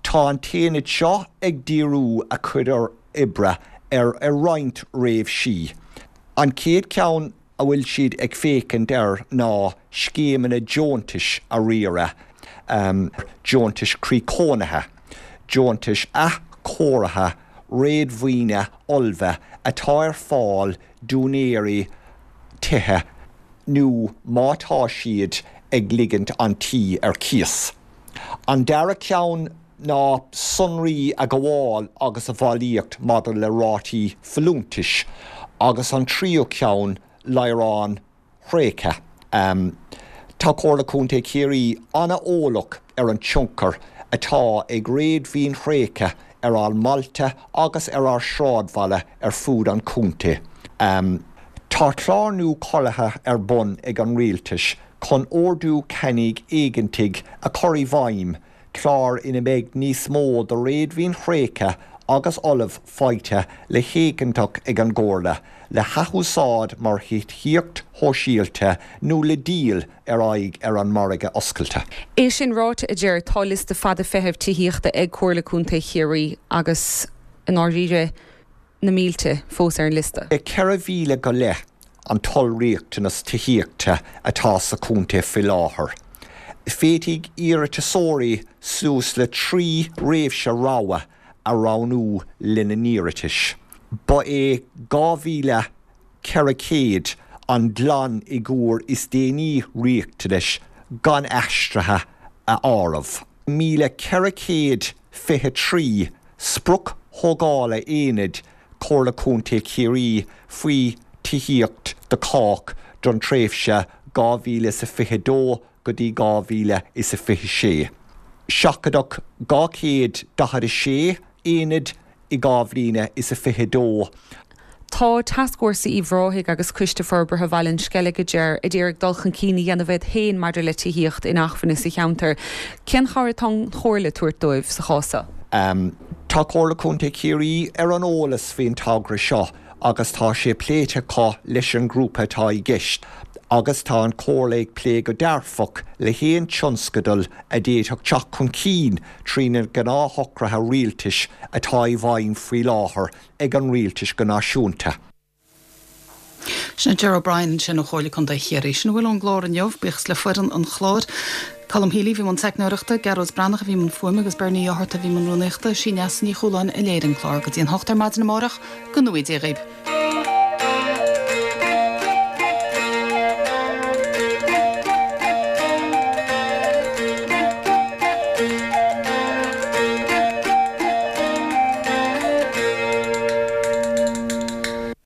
Tá an t-aonad seo ag díriú a chuid oibre ar roinnt réimsí. An chéad cheann a bhfuil siad ag féachaint air ná scéimeanna deontais a riaradh, deontais croí-chónaithe, deontais athchóirithe réadmhaoine fholmha atá ar fáil d'úinéirí tithe nó má tá siad ag ligint an tí ar cíos. An dara ceann ná sonraí a ghabháil agus a bhailíocht maidir le rátaí folúntais agus an tríú ceann láithreáin thréigthe. Tá Comhairle Contae Chiarraí an-eolach ar an tionchar atá ag réadmhaoin thréigthe. ar ár mbailte agus ar ár sráidbhaile ar fud an chontae. Tá clár nua curtha ar bun ag an Rialtas chun Ordú Ceannaigh Éigeantaigh a chur i bhfeidhm, clár ina mbeidh níos mó de réadmhaoin thréigthe agus fholamh faighte le héigeantach ag an gComhairle le hathúsáid mar thithíocht shóisialta nó le díol ar aghaidh ar an margadh oscailte. É sin ráite, a Ger, tá liosta fada feithimh tithíochta ag Comhairle Contae Chiarraí agus, i ndáiríre, na mílte fós ar an liosta. 4,000 go leith an t-ollriachtanas tithíochta atá sa chontae faoi láthair. Féadfaidh iarratasóirí suas le 3 thréimhse rogha a roghnú lena n-iarratais. Ba é 2,400 an glanfhigiúr is déanaí riachtanais gan aistrithe a áireamh. 1,423 sprioc thógála aonaid Chomhairle Contae Chiarraí faoi Tithíocht do Chách don tréimhse 2022 go dtí 2026. Seachadadh 246 aonad i 2022. Tá Tascfhórsa Uíbh Ráthaigh agus Coiste Forbartha Bhaile an Sceilg, a Ger, ag iarraidh dul chun cinn a dhéanamh iad féin maidir le tithíocht inacmhainne sa cheantar. Cén chabhair atá an Chomhairle ag tabhairt dóibh sa chás seo? Tá Comhairle Contae Chiarraí ar an eolas faoin togra seo agus tá sé pléite acu leis an ngrúpa atá i gceist agus tá an Chomhairle ag plé go dearfach le haon tionscadal a d'fhéadfadh teacht chun cinn trí na gnáthshocruithe rialtais atá i bhfeidhm faoi láthair ag an rialtas go náisiúnta. Sin Ger O'Brien ansin ó Chomhairle Contae Chiarraí. Sin a bhfuil ón gclár inniu. Buíochas le foireann an chláir. Colm Healy a bhí i mbun teicneoireachta, Gearóid Breathnach a bhí i mbun fuaime agus Bernie Ó hEorta a bhí i mbun rúnaíochta. Sí Neasa Ní Chualáin a léirigh an clár. Go dtí an hocht ar maidin amárach, go ngnóthaí Dia dhaoibh.